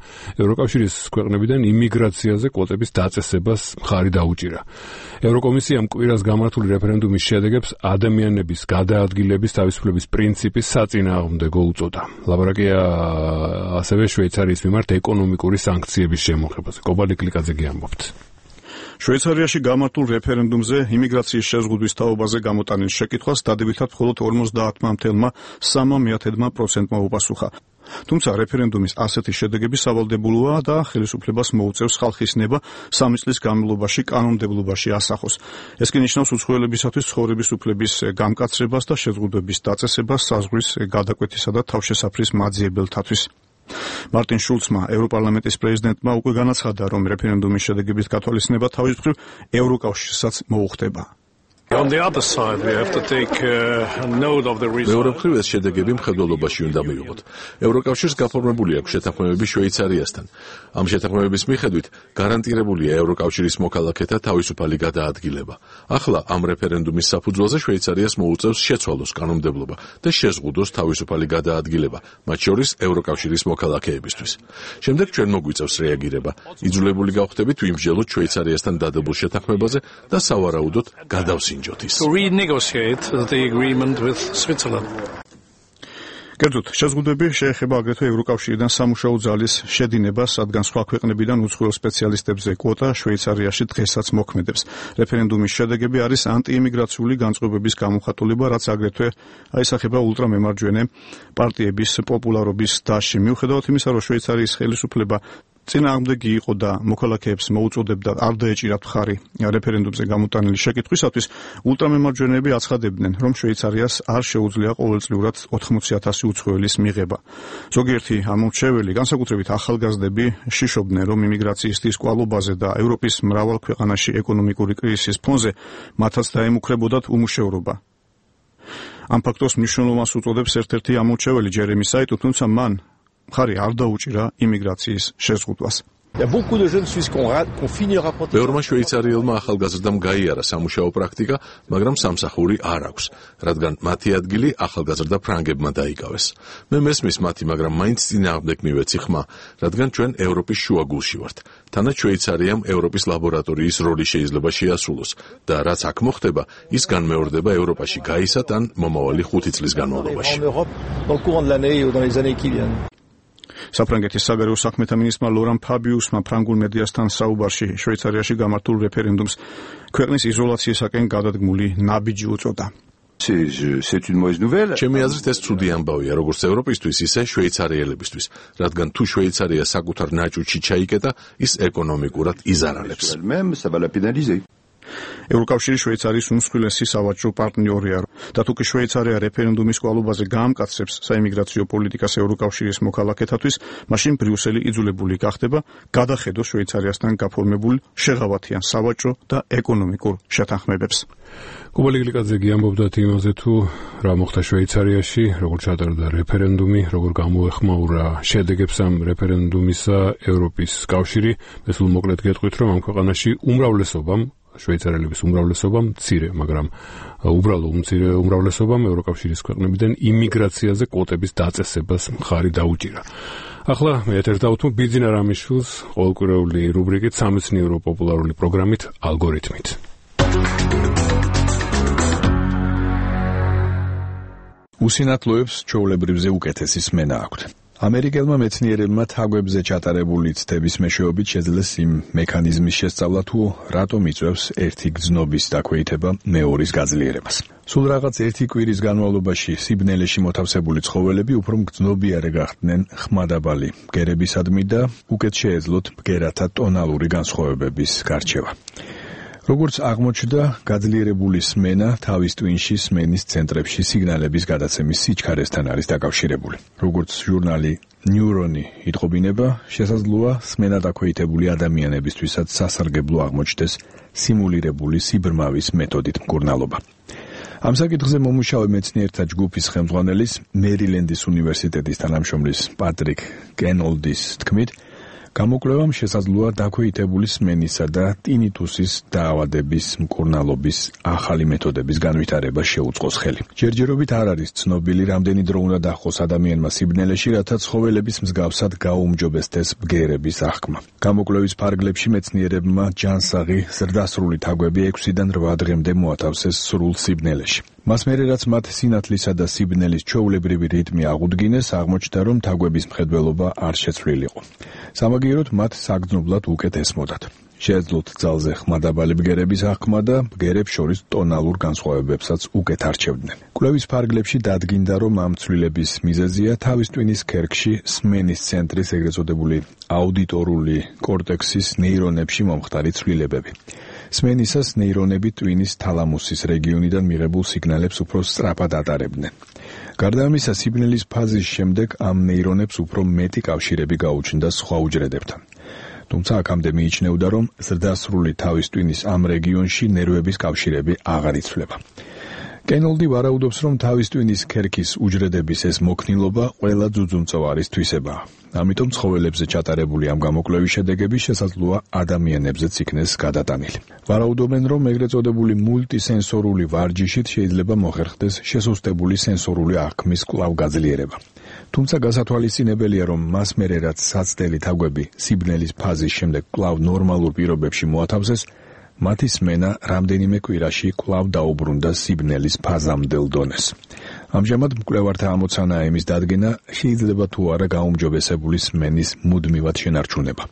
ევროკავშირის ქვეყნებიდან იმიგრაციაზე კვოტების დაწესებას მხარი დაუჭირა. ევროკომისიამ კვირას გამართული რეფერენდუმის შედეგებს ადამიანების გადაადგილების თავისუფლების პრინციპის საწინააღმდეგო უწოდა. ლაპარაკია ასევე შვეიცარიის მიმართ ეკონომიკური სანქციების შემოღებაზე. კობალი კლიკაძე გიამბობთ. შვეიცარიაში გამართულ რეფერენდუმზე იმიგრაციის შეზღუდვის თაობაზე გამოტანილ შეკითხვას დადებითად მხოლოდ 50,3% უპასუხა. თუმცა რეფერენდუმის ასეთი შედეგები სავალდებულოა და ხელისუფლებას მოუწევს ხალხის ნება 3 წლის განმავლობაში კანონმდებლობაში ასახოს. ეს კი ნიშნავს უცხოელებისათვის ცხოვრების უფლების გამკაცრებას და შეზღუდვების დაწესებას საზღვრის გადაკვეთისა და თავშესაფრის მაძიებელთათვის. მარტინ შულცმა, ევროპარლამენტის პრეზიდენტმა უკვე განაცხადა, რომ რეფერენდუმის შედეგების გათვალისწინება თავის მხრივ ევროკავშირსაც მოუხდება. მეორე მხრივ ეს შედეგები მხედველობაში უნდა მივიღოთ. ევროკავშირს გაფორმებული აქვს შეთანხმებები შვეიცარიასთან. ამ შეთანხმებების მიხედვით გარანტირებულია ევროკავშირის მოქალაქეთა თავისუფალი გადაადგილება. ახლა ამ რეფერენდუმის საფუძველზე შვეიცარიას მოუწევს შეცვალოს კანონმდებლობა და შეზღუდოს თავისუფალი გადაადგილება, მათ შორის ევროკავშირის მოქალაქეებისთვის. შემდეგ ჩვენ მოგვიწევს რეაგირება. იძულებული გავხდებით ვიმსჯელოთ შვეიცარიასთან დადებულ შეთანხმებაზე და სავარაუდოდ გადავსინჯოთ. To renegotiate the agreement with Switzerland. კერძოდ, შეზღუდვები შეეხება აგრეთვე ევროკავშირიდან სამუშაო ძალის შედინებას, რადგან სხვა ქვეყნებიდან უცხოელ სპეციალისტებზე კვოტა შვეიცარიაში დღესაც მოქმედებს. რეფერენდუმის შედეგები არის ანტიიმიგრაციული განწყობების გამოხატულება, რაც აგრეთვე აისახება ულტრამემარჯვენე პარტიების პოპულარობის დასში. მიუხედავად იმისა, რომ შვეიცარიის ხელისუფლება წინააღმდეგი იყო და მოქალაქეებს მოუწოდებდა არ დაეჭირათ მხარი რეფერენდუმზე გამოტანილი შეკითხვისათვის, ულტრამემარჯვენეები აცხადებდნენ, რომ შვეიცარიას არ შეუძლია ყოველწლიურად 80,000 უცხოელის მიღება. ზოგიერთი ამორჩეველი, განსაკუთრებით ახალგაზრდები, შიშობდნენ, რომ იმიგრაციის დის კვალობაზე და ევროპის მრავალ ქვეყანაში ეკონომიკური კრიზისის ფონზე მათაც დაემუქრებოდათ უმუშევრობა. ამ ფაქტორს მნიშვნელობას უწოდებს ერთ-ერთი ამორჩეველი ჯერემი საიტუ, თუმცა მან მხარი არ დაუჭირა იმიგრაციის შეზღუდვას. ბევრმა შვეიცარიელმა ახალგაზრდამ გაიარა სამუშაო პრაქტიკა, მაგრამ სამსახური არ აქვს, რადგან მათი ადგილი ახალგაზრდა ფრანგებმა დაიკავეს. მე მესმის მათი, მაგრამ მაინც წინააღმდეგ მივეცი ხმა, რადგან ჩვენ ევროპის შუაგულში ვართ. თანაც შვეიცარიამ ევროპის ლაბორატორიის როლი შეიძლება შეასრულოს და რაც აქ მოხდება, ის განმეორდება ევროპაში გაისად ან მომავალი 5 წლის განმავლობაში. საფრანგეთის საგარეო საქმეთა მინისტრმა ლორან ფაბიუსმა ფრანგულ მედიასთან საუბარში შვეიცარიაში გამართულ რეფერენდუმს ქვეყნის იზოლაციისაკენ გადადგმული ნაბიჯი უწოდა. ჩემი აზრით ეს ცუდი ამბავია, როგორც ევროპისთვის, ისე შვეიცარიელებისთვის, რადგან თუ შვეიცარია საკუთარ ნაჭუჭში ჩაიკეტა, ის ეკონომიკურად იზარალებს. ევროკავშირი შვეიცარიის უმსხვილესი სავაჭრო პარტნიორია და თუ კი შვეიცარია რეფერენდუმის კვალობაზე გაამკაცრებს საიმიგრაციო პოლიტიკას ევროკავშირის მოქალაქეთათვის, მაშინ ბრიუსელი იძულებული გახდება გადახედოს შვეიცარიასთან გაფორმებულ შეღავათიან სავაჭრო და ეკონომიკურ შეთანხმებებს. კობალი გლიკაძე გიამბობდა იმაზე, თუ რა მოხდა შვეიცარიაში, როგორ ჩატარდა რეფერენდუმი, როგორ გამოეხმაურა შედეგებს ამ რეფერენდუმისა ევროპის კავშირი. მე სულ მოკლედ გეტყვით, რომ ამ ქვეყანაში უმრავლესობამ შვეიცარიელების უმრავლესობამ მცირე, მაგრამ უბრალო უმრავლესობამ ევროკავშირის ქვეყნებიდან იმიგრაციაზე კვოტების დაწესებას მხარი დაუჭირა. ახლა მე ეთერს დავუთმობ ბიძინა რამიშვილს ყოველკვირეული რუბრიკით სამეცნიერო პოპულარული პროგრამით ალგორითმით. უსინათლოებს ჩვეულებრივზე უკეთესი სმენა აქვთ. ამერიკელმა მეცნიერებმა თაგვებზე ჩატარებული ცდების მეშვეობით შეძლეს იმ მექანიზმის შესწავლა, თუ რატომ იწვევს ერთი გრძნობის დაქვეითება მეორის გაძლიერებას. სულ რაღაც ერთი კვირის განმავლობაში სიბნელეში მოთავსებული ცხოველები უფრო მგრძნობიარე გახდნენ ხმადაბალი ბგერებისადმი და უკეთ შეეძლოთ ბგერათა ტონალური განსხვავებების გარჩევა. როგორც აღმოჩნდა, გაძლიერებული სმენა თავის ტვინში სმენის ცენტრებში სიგნალების გადაცემის სიჩქარესთან არის დაკავშირებული. როგორც ჟურნალი ნეირონი იტყობინება, შესაძლოა სმენა დაქვეითებული ადამიანებისთვისაც სასარგებლო აღმოჩნდეს სიმულირებული სიბრმავის მეთოდით მკურნალობა. ამ საკითხზე მომუშავე მეცნიერთა ჯგუფის ხელმძღვანელის მერილენდის უნივერსიტეტის თანამშრომლის პატრიკ კენოლდის თქმით, გამოკვლევამ შესაძლოა დაქვეითებული სმენისა და ტინიტუსის დაავადების მკურნალობის ახალი მეთოდების განვითარება შეუწყოს ხელი. ჯერჯერობით არ არის ცნობილი, რამდენი დრო უნდა დაჰყოს ადამიანმა სიბნელეში, რათა ცხოველების მსგავსად გაუმჯობესდეს ბგერების აღქმა. გამოკვლევის ფარგლებში მეცნიერებმა ჯანსაღი ზრდასრული თაგვები 6-დან 8 დღემდე მოათავსეს სრულ სიბნელეში. მას მერე რაც მათ სინათლისა და სიბნელის ჩვეულებრივი რიტმი აღუდგინეს, აღმოჩნდა, რომ თაგვების მხედველობა არ შეცვლილიყო. სამაგიეროდ მათ საგრძნობლად უკეთ ესმოდათ. შეეძლოთ ძალზე ხმადაბალი ბგერების აღქმა და ბგერებს შორის ტონალურ განსხვავებებსაც უკეთ არჩევდნენ. კვლევის ფარგლებში დადგინდა, რომ ამ ცვლილების მიზეზია თავის ტვინის ქერქში სმენის ცენტრის ეგრეთ წოდებული აუდიტორული კორტექსის ნეირონებში მომხდარი ცვლილებები. სმენისას ნეირონები ტვინის თალამუსის რეგიონიდან მიღებულ სიგნალებს უფრო სწრაფად ატარებდნენ. გარდა ამისა, სიბნელის ფაზის შემდეგ ამ ნეირონებს უფრო მეტი კავშირები გაუჩნდა სხვა უჯრედებთან. თუმცა აქამდე მიიჩნეოდა, რომ ზრდასრული თავის ტვინის ამ რეგიონში ნერვების კავშირები აღარ იცვლება. კენოლდი ვარაუდობს, რომ თავის ტვინის ქერქის უჯრედების ეს მოქნილობა ყველა ძუძუმწოვარის თვისებაა. ამიტომ ცხოველებზე ჩატარებული ამ გამოკვლევის შედეგები შესაძლოა ადამიანებზეც იქნეს გადატანილი. ვარაუდობენ, რომ ეგრეთ წოდებული მულტისენსორული ვარჯიშით შეიძლება მოხერხდეს შესუსტებული სენსორული აღქმის კვლავ გაძლიერება. თუმცა გასათვალისწინებელია, რომ მას მერე რაც საცდელი თაგვები სიბნელის ფაზის შემდეგ კვლავ ნორმალურ პირობებში მოათავსეს, მათი სმენა რამდენიმე კვირაში კვლავ დაუბრუნდა სიბნელის ფაზამდელ დონეს. ამჟამად მკვლევართა ამოცანაა იმის დადგენა, შეიძლება თუ არა გაუმჯობესებული სმენის მუდმივად შენარჩუნება.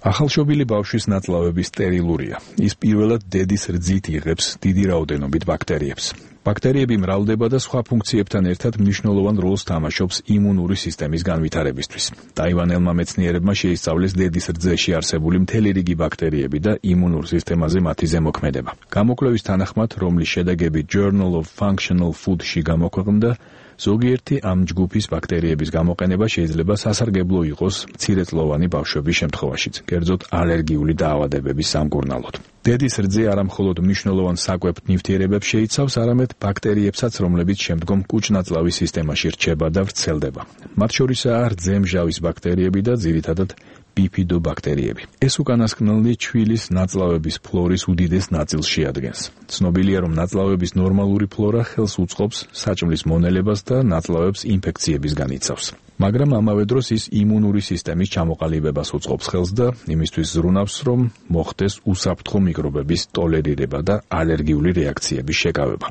ახალშობილი ბავშვის ნაწლავები სტერილურია. ის პირველად დედის რძით იღებს დიდი რაოდენობით ბაქტერიებს. ბაქტერიები მრავლდება და სხვა ფუნქციებთან ერთად მნიშვნელოვან როლს თამაშობს იმუნური სისტემის განვითარებისთვის. ტაივანელმა მეცნიერებმა შეისწავლეს დედის რძეში არსებული მთელი რიგი ბაქტერიები და იმუნურ სისტემაზე მათი ზემოქმედება. გამოკვლევის თანახმად, რომლის შედეგები Journal of Functional Food-ში გამოქვეყნდა, ზოგიერთი ამ ჯგუფის ბაქტერიების გამოყენება შეიძლება სასარგებლო იყოს მცირეწლოვანი ბავშვების შემთხვევაშიც, კერძოდ ალერგიული დაავადებების სამკურნალოდ. დედის რძე არა მხოლოდ მნიშვნელოვან საკვებ ნივთიერებებს შეიცავს, არამედ ბაქტერიებსაც, რომლებიც შემდგომ კუჭ-ნაწლავის სისტემაში რჩება და ვრცელდება. მათ შორისაა რძემჟავის ბაქტერიები და ძირითადად ბიფიდობაქტერიები. ეს უკანასკნელი ჩვილის ნაწლავების ფლორის უდიდეს ნაწილს შეადგენს. ცნობილია, რომ ნაწლავების ნორმალური ფლორა ხელს უწყობს საჭმლის მონელებას და ნაწლავებს ინფექციებისგან იცავს. მაგრამ ამავე დროს ის იმუნური სისტემის ჩამოყალიბებას უწყობს ხელს და იმისთვის ზრუნავს, რომ მოხდეს უსაფრთხო მიკრობების ტოლერირება და ალერგიული რეაქციების შეკავება.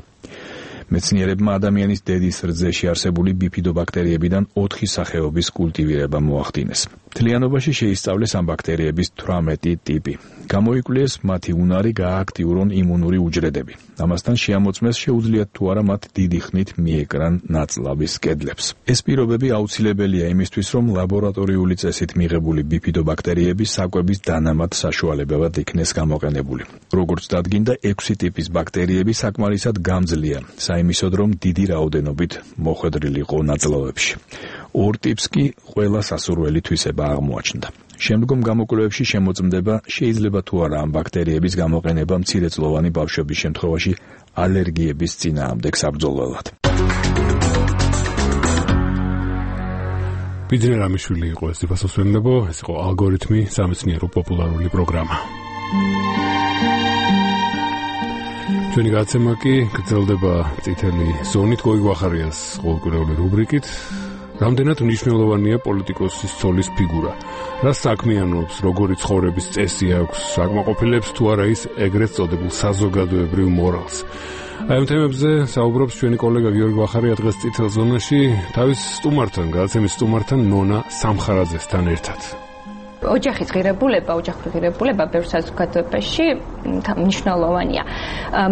მეცნიერებმა ადამიანის დედის რძეში არსებული ბიფიდობაქტერიებიდან 4 სახეობის კულტივირება მოახდინეს. მთლიანობაში შეისწავლეს ამ ბაქტერიების 18 ტიპი. გამოიკვლიეს მათი უნარი გაააქტიურონ იმუნური უჯრედები. ამასთან შეამოწმეს შეუძლიათ თუ არა მათ დიდი ხნით მიეკრან ნაწლავის კედლებს. ეს პირობები აუცილებელია იმისთვის, რომ ლაბორატორიული წესით მიღებული ბიფიდობაქტერიები საკვების დანამატ საშუალებად იქნეს გამოყენებული. როგორც დადგინდა, 6 ტიპის ბაქტერიები საკმარისად გამძლეა, საიმისოდ რომ დიდი რაოდენობით მოხვედრილიყო ნაწლავებში. 2 ტიპს კი ყველა სასურველი თვისება აღმოაჩნდა. შემდგომ გამოკვლევებში შემოწმდება, შეიძლება თუ არა ამ ბაქტერიების გამოყენება მცირეწლოვანი ბავშვების შემთხვევაში ალერგიების წინააღმდეგ საბრძოლველად. ბიძინა რამიშვილი იყო ეს ფასოსვენებო, ეს იყო ალგორითმი სამეცნიერო პოპულარული პროგრამა. ჩვენი გაცემა კი გრძელდება წითელი ზონით გოიგო ახარიას ყოველკვირეული რუბრიკით. რამდენად მნიშვნელოვანია პოლიტიკოსის ცოლის ფიგურა? რა საქმიანობს, როგორი ცხოვრების წესი აქვს, საკმაყოფილებს თუ არა ის ეგრეთ წოდებულ საზოგადოებრივ მორალს? აი ამ თემებზე საუბრობს ჩვენი კოლეგა გიორგი ვახარია დღეს წითელ ზონაში თავის სტუმართან, გადაცემის სტუმართან ნონა სამხარაძესთან ერთად. ოჯახის ღირებულება ბევრ საზოგადოებაში მნიშვნელოვანია.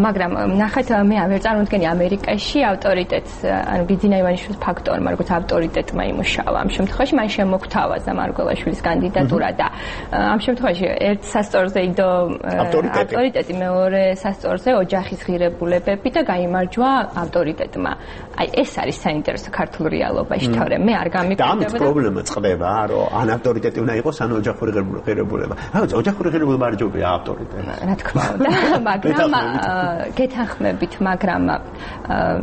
მაგრამ ნახეთ, მე ვერ წარმოვიდგენი ამერიკაში ავტორიტეტს, ანუ ბიძინა ივანიშვილის ფაქტორმა, როგორც ავტორიტეტმა იმუშავა. ამ შემთხვევაში მან შემოგთავაზა მარგველაშვილის კანდიდატურა და ამ შემთხვევაში ერთ სასწორზე იდო ავტორიტეტი, მეორე სასწორზე ოჯახის ღირებულებები და გაიმარჯვა ავტორიტეტმა. აი ეს არის საინტერესო ქართულ რეალობაში, თორემ მე არ გამიკვირდება. და ამით პრობლემა წყდება, რომ ან ავტორიტეტი უნდა იყოს, ან ოჯახური ღირებულება. რა ოჯახური ღირებულება არ ჯობია ავტორიტეტი. რა თქმა უნდა, მაგრამ გეთანხმებით, მაგრამ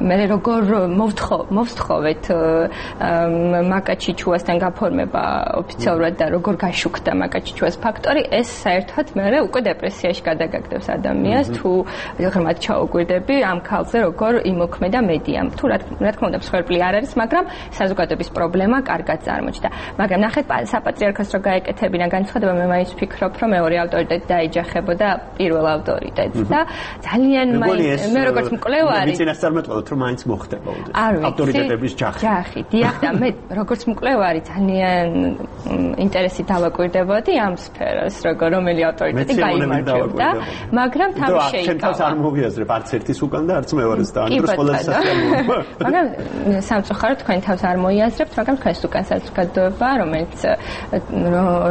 მე როგორ მოვსთხოვეთ მაკაჩიჩუასთან გაფორმება ოფიციალურად და როგორ გაშუქდა მაკაჩიჩუას ფაქტორი, ეს საერთოდ მე უკვე დეპრესიაში გადაგაგდებს ადამიანს, თუ ღრმად ჩაუგვირდები ამ ქალზე როგორ იმოქმედა მედიამ. თუ რა თქმა უნდა მსხვერპლი არ არის, მაგრამ საზოგადოების პრობლემა კარგად წარმოჩნდა. მაგრამ ნახეთ, საპატრიარქოს რო გაეკეთებინა განცხადება, მე მაინც ვფიქრობ, რომ მეორე ავტორიტეტი დაიჯახებოდა პირველ ავტორიტეტს და ძალიან მე როგორც მკვლევარი ვიცი რა წარმატებულად რომ მაინც მოხდება ავტორიტეტების ჯახი. დიახ და მე როგორც მკვლევარი ძალიან ინტერესით დავაკვირდებოდი ამ სფეროს, რომელი ავტორიტეტი გაიმარჯვებდა, მაგრამ თავი შეიკავა. შენ თავს არ მოვიაზრებ არც ერთის უკან და არც მეორეს და ამ დროს ყველაზე სასიამოვნოა. მაგრამ სამწუხაროდ თქვენ თავს არ მოიაზრებთ, მაგრამ თქვენს უკან საზოგადოება, რომელიც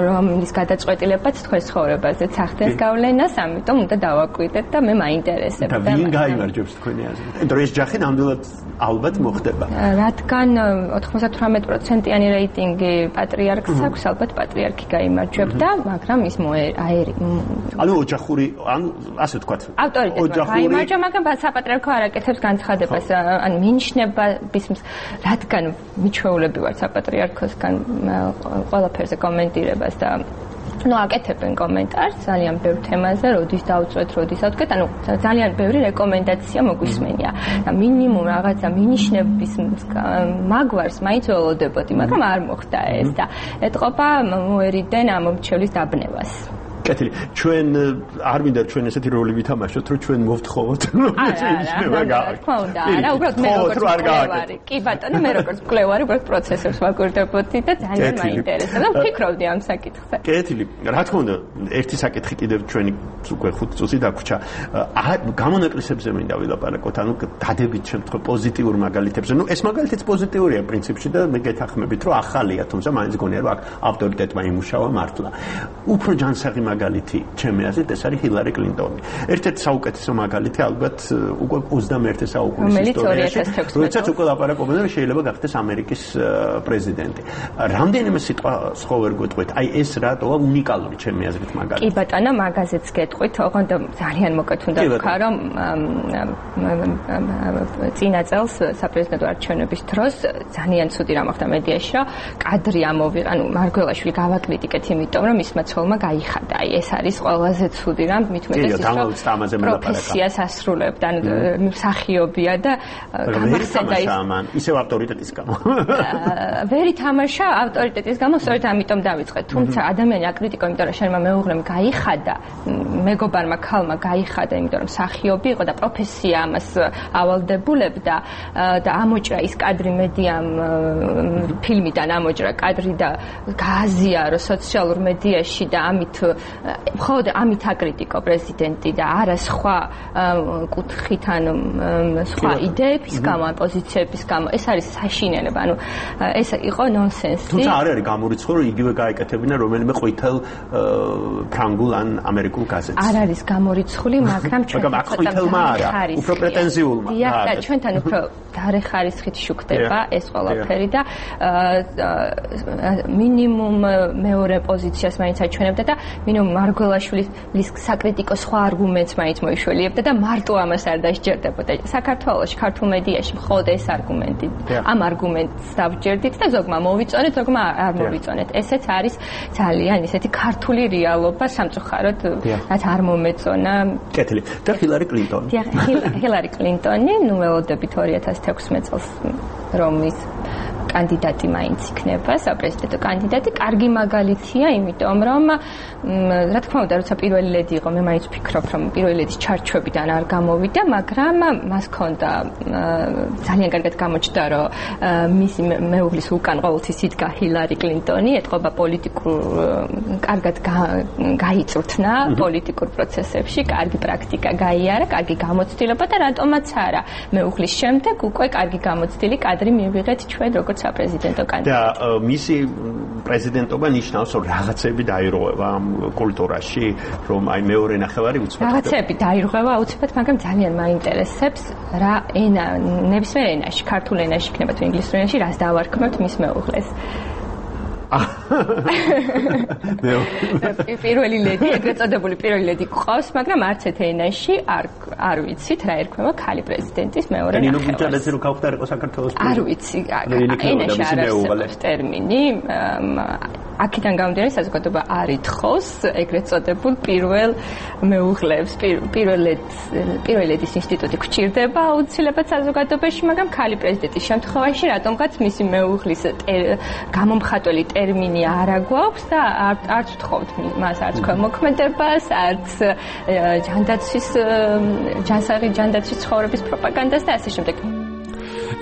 რომლის გადაწყვეტილებაც თქვენს ცხოვრებაზეც ახდენს გავლენას, ამიტომ უნდა დავაკვირდეთ და მე მაინტერესებდა. და ვინ გაიმარჯვებს თქვენი აზრით? ანუ ეს ჯახი ნამდვილად ალბათ მოხდება. რადგან 98%-იანი რეიტინგი პატრიარქს აქვს, ალბათ პატრიარქი გაიმარჯვებდა, მაგრამ ის ანუ ოჯახური, ანუ ასე ვთქვათ. ავტორიტეტმა გაიმარჯვა, მაგრამ საპატრიარქო არ აკეთებს განცხადებას, ან მინიშნება რადგან მიჩვეულები ვართ საპატრიარქოსგან ყველაფერზე კომენტირებას და აკეთებენ კომენტარს ძალიან ბევრ თემაზე, როდის დავწვეთ, როდის ავდგეთ, ანუ ძალიან ბევრი რეკომენდაცია მოგვისმენია. და მინიმუმ რაღაცა მინიშნების მაგვარს მაინც ველოდებოდი, მაგრამ არ მოხდა ეს და ეთყობა მოერიდენ ამომრჩევლის დაბნევას. კეთილი. ჩვენ არ მინდა ჩვენ ესეთი როლი ვითამაშოთ, რომ ჩვენ მოვთხოვოთ, რომ შეინიშნება გააკეთოთ. თქმა უნდა, არა, უბრალოდ მე როგორც მკვლევარი. კი ბატონო, მე როგორც მკვლევარი, უბრალოდ პროცესებს ვაკვირდებოდი და ძალიან მაინტერესებდა და ვფიქრობდი ამ საკითხზე. კეთილი. რა თქმა უნდა, ერთი საკითხი კიდევ ჩვენი უკვე 5 წუთი დაგვრჩა. გამონაკლისებზე მინდა ვილაპარაკოთ, ანუ დადებით შემთხვევ პოზიტიურ მაგალითებზე. ეს მაგალითიც პოზიტიურია პრინციპში და მე გეთანხმებით, რომ ახალია, თუმცა მაინც გონია, რომ აქ ავტორიტეტმა იმუშავა მართლა. უფრო ჯანსაღი მაგალითი ჩემი აზრით ეს არის ჰილარი კლინტონი. ერთ-ერთი საუკეთესო მაგალითი ალბათ უკვე 21 საუკუნის ისტორიაში, როდესაც უკვე ლაპარაკობენ რომ შეიძლება გახდეს ამერიკის პრეზიდენტი. რამდენიმე სიტყვა სხვა ვერ გეტყვით. აი ეს რატოა უნიკალური ჩემი აზრით მაგალითი. კი ბატონო, მაგაზეც გეტყვით, ოღონდ ძალიან მოკეთ უნდა ვქა, რომ წინა წელს საპრეზიდენტო არჩევნების დროს ძალიან ცუდი რამ მოხდა მედიაში, რომ კადრი ანუ მარგველაშვილი გავაკრიტიკეთ, იმიტომ რომ მისმა ცოლმა გაიხადა. აი ეს არის ყველაზე ცუდი რამ, მით უმეტეს ის რომ პროფესიას ასრულებდა, ანუ მსახიობია და გამახსენდა ისევ ავტორიტეტის გამო. ვერ ითამაშა ავტორიტეტის გამო, სწორედ ამიტომ დავიწყეთ. თუმცა ადამიანი აკრიტიკო, იმიტომ რომ შენმა მეუღლემ გაიხადა, მეგობარმა ქალმა გაიხადა, იმიტომ რომ მსახიობი იყო და პროფესია ამას ავალდებულებდა და ამოჭრა ის კადრი მედიამ ფილმიდან ამოჭრა კადრი და გააზიარო სოციალურ მედიაში და მხოლოდ ამით აკრიტიკო პრეზიდენტი და არა სხვა კუთხით ან სხვა იდეების გამო, პოზიციების გამო. ეს არის საშინელება, ანუ ეს იყო ნონსენსი. თუმცა არ არის გამორიცხული, რომ იგივე გაეკეთებინა რომელიმე ყვითელ ფრანგულ ან ამერიკულ გაზეთს. არ არის გამორიცხული, მაგრამ ჩვენ ყვითელმა არა, უფრო პრეტენზიულმა. დიახ, და ჩვენთან უფრო დარეხარისხით შუქდება ეს ყველაფერი და მინიმუმ მეორე პოზიციას მაინც აჩვენებდა და მინიმუმ მარგველაშვილის საკრიტიკო სხვა არგუმენტს მაინც მოიშველიებდა და მარტო ამას არ დასჯერდებოდა. საქართველოში, ქართულ მედიაში მხოლოდ ეს არგუმენტი. ამ არგუმენტს დავჯერდით და ზოგმა მოვიწონეთ, ზოგმა არ მოვიწონეთ. ესეც არის ძალიან ისეთი ქართული რეალობა, სამწუხაროდ, რაც არ მომეწონა. კეთილი. და ჰილარი კლინტონი. ჰილარი კლინტონი, ნუ ველოდებით 2016 წელს რომის კანდიდატი მაინც იქნება, საპრეზიდენტო კანდიდატი. კარგი მაგალითია, იმიტომ რომ რა თქმა უნდა, როცა პირველი ლედი იყო, მე მაინც ვფიქრობ, რომ პირველი ლედის ჩარჩოებიდან არ გამოვიდა, მაგრამ მას ჰქონდა ძალიან კარგად გამოჩნდა, რომ მისი მეუღლის უკან ყოველთვის იდგა ჰილარი კლინტონი, ეთყობა პოლიტიკურ კარგად გაიწვრთნა პოლიტიკურ პროცესებში, კარგი პრაქტიკა გაიარა, კარგი გამოცდილება და რატომაც არა, მეუღლის შემდეგ უკვე კარგი გამოცდილი კადრი მივიღეთ ჩვენ როგორც საპრეზიდენტო კანდიდატი. და მისი პრეზიდენტობა ნიშნავს, რომ რაღაცები დაირღვევა ამ კულტურაში, რომ აი მეორე ნახევარი უცბად. რაღაცები დაირღვევა აუცილებლად, მაგრამ ძალიან მაინტერესებს რა ენა, ნებისმიერ ენაში, ქართულ ენაში იქნება თუ ინგლისურ ენაში, რას დავარქმევთ მის მეუღლეს. პირველი ლედი, ეგრეთ წოდებული პირველი ლედი ყავს, მაგრამ არც ერთ ენაში არ ვიცით რა ერქმევა ქალი პრეზიდენტის მეორე ნახევარს. ნინო გუჯალაძე რო გავხდარიყო საქართველოს არ ვიცი, ენაში არ არსებობს ტერმინი. აქედან გამომდინარე საზოგადოება არ ითხოვს ეგრეთ წოდებულ პირველ მეუღლებს, პირველ ლედის ინსტიტუტი გვჭირდება აუცილებლად საზოგადოებაში, მაგრამ ქალი პრეზიდენტის შემთხვევაში რატომღაც მისი მეუღლის გამომხატველი ტერმინი არ აგვაქვს და არც ვთხოვთ მას არც ქველმოქმედებას, არც ჯანდაცვის ცხოვრების პროპაგანდას და ასე შემდეგ.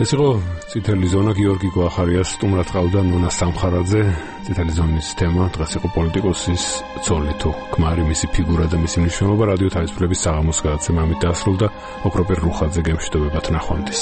ეს იყო წითელი ზონა, გიორგი გვახარიას სტუმრად ყავდა ნონა სამხარაძე. წითელი ზონის თემა დღეს იყო პოლიტიკოსის ცოლი თუ ქმარი, მისი ფიგურა და მისი მნიშვნელობა. რადიო თავისუფლების საღამოს გადაცემა ამით დაასრულდა. ოქროპერ რუხაძე გემშვიდობებათ, ნახვამდის.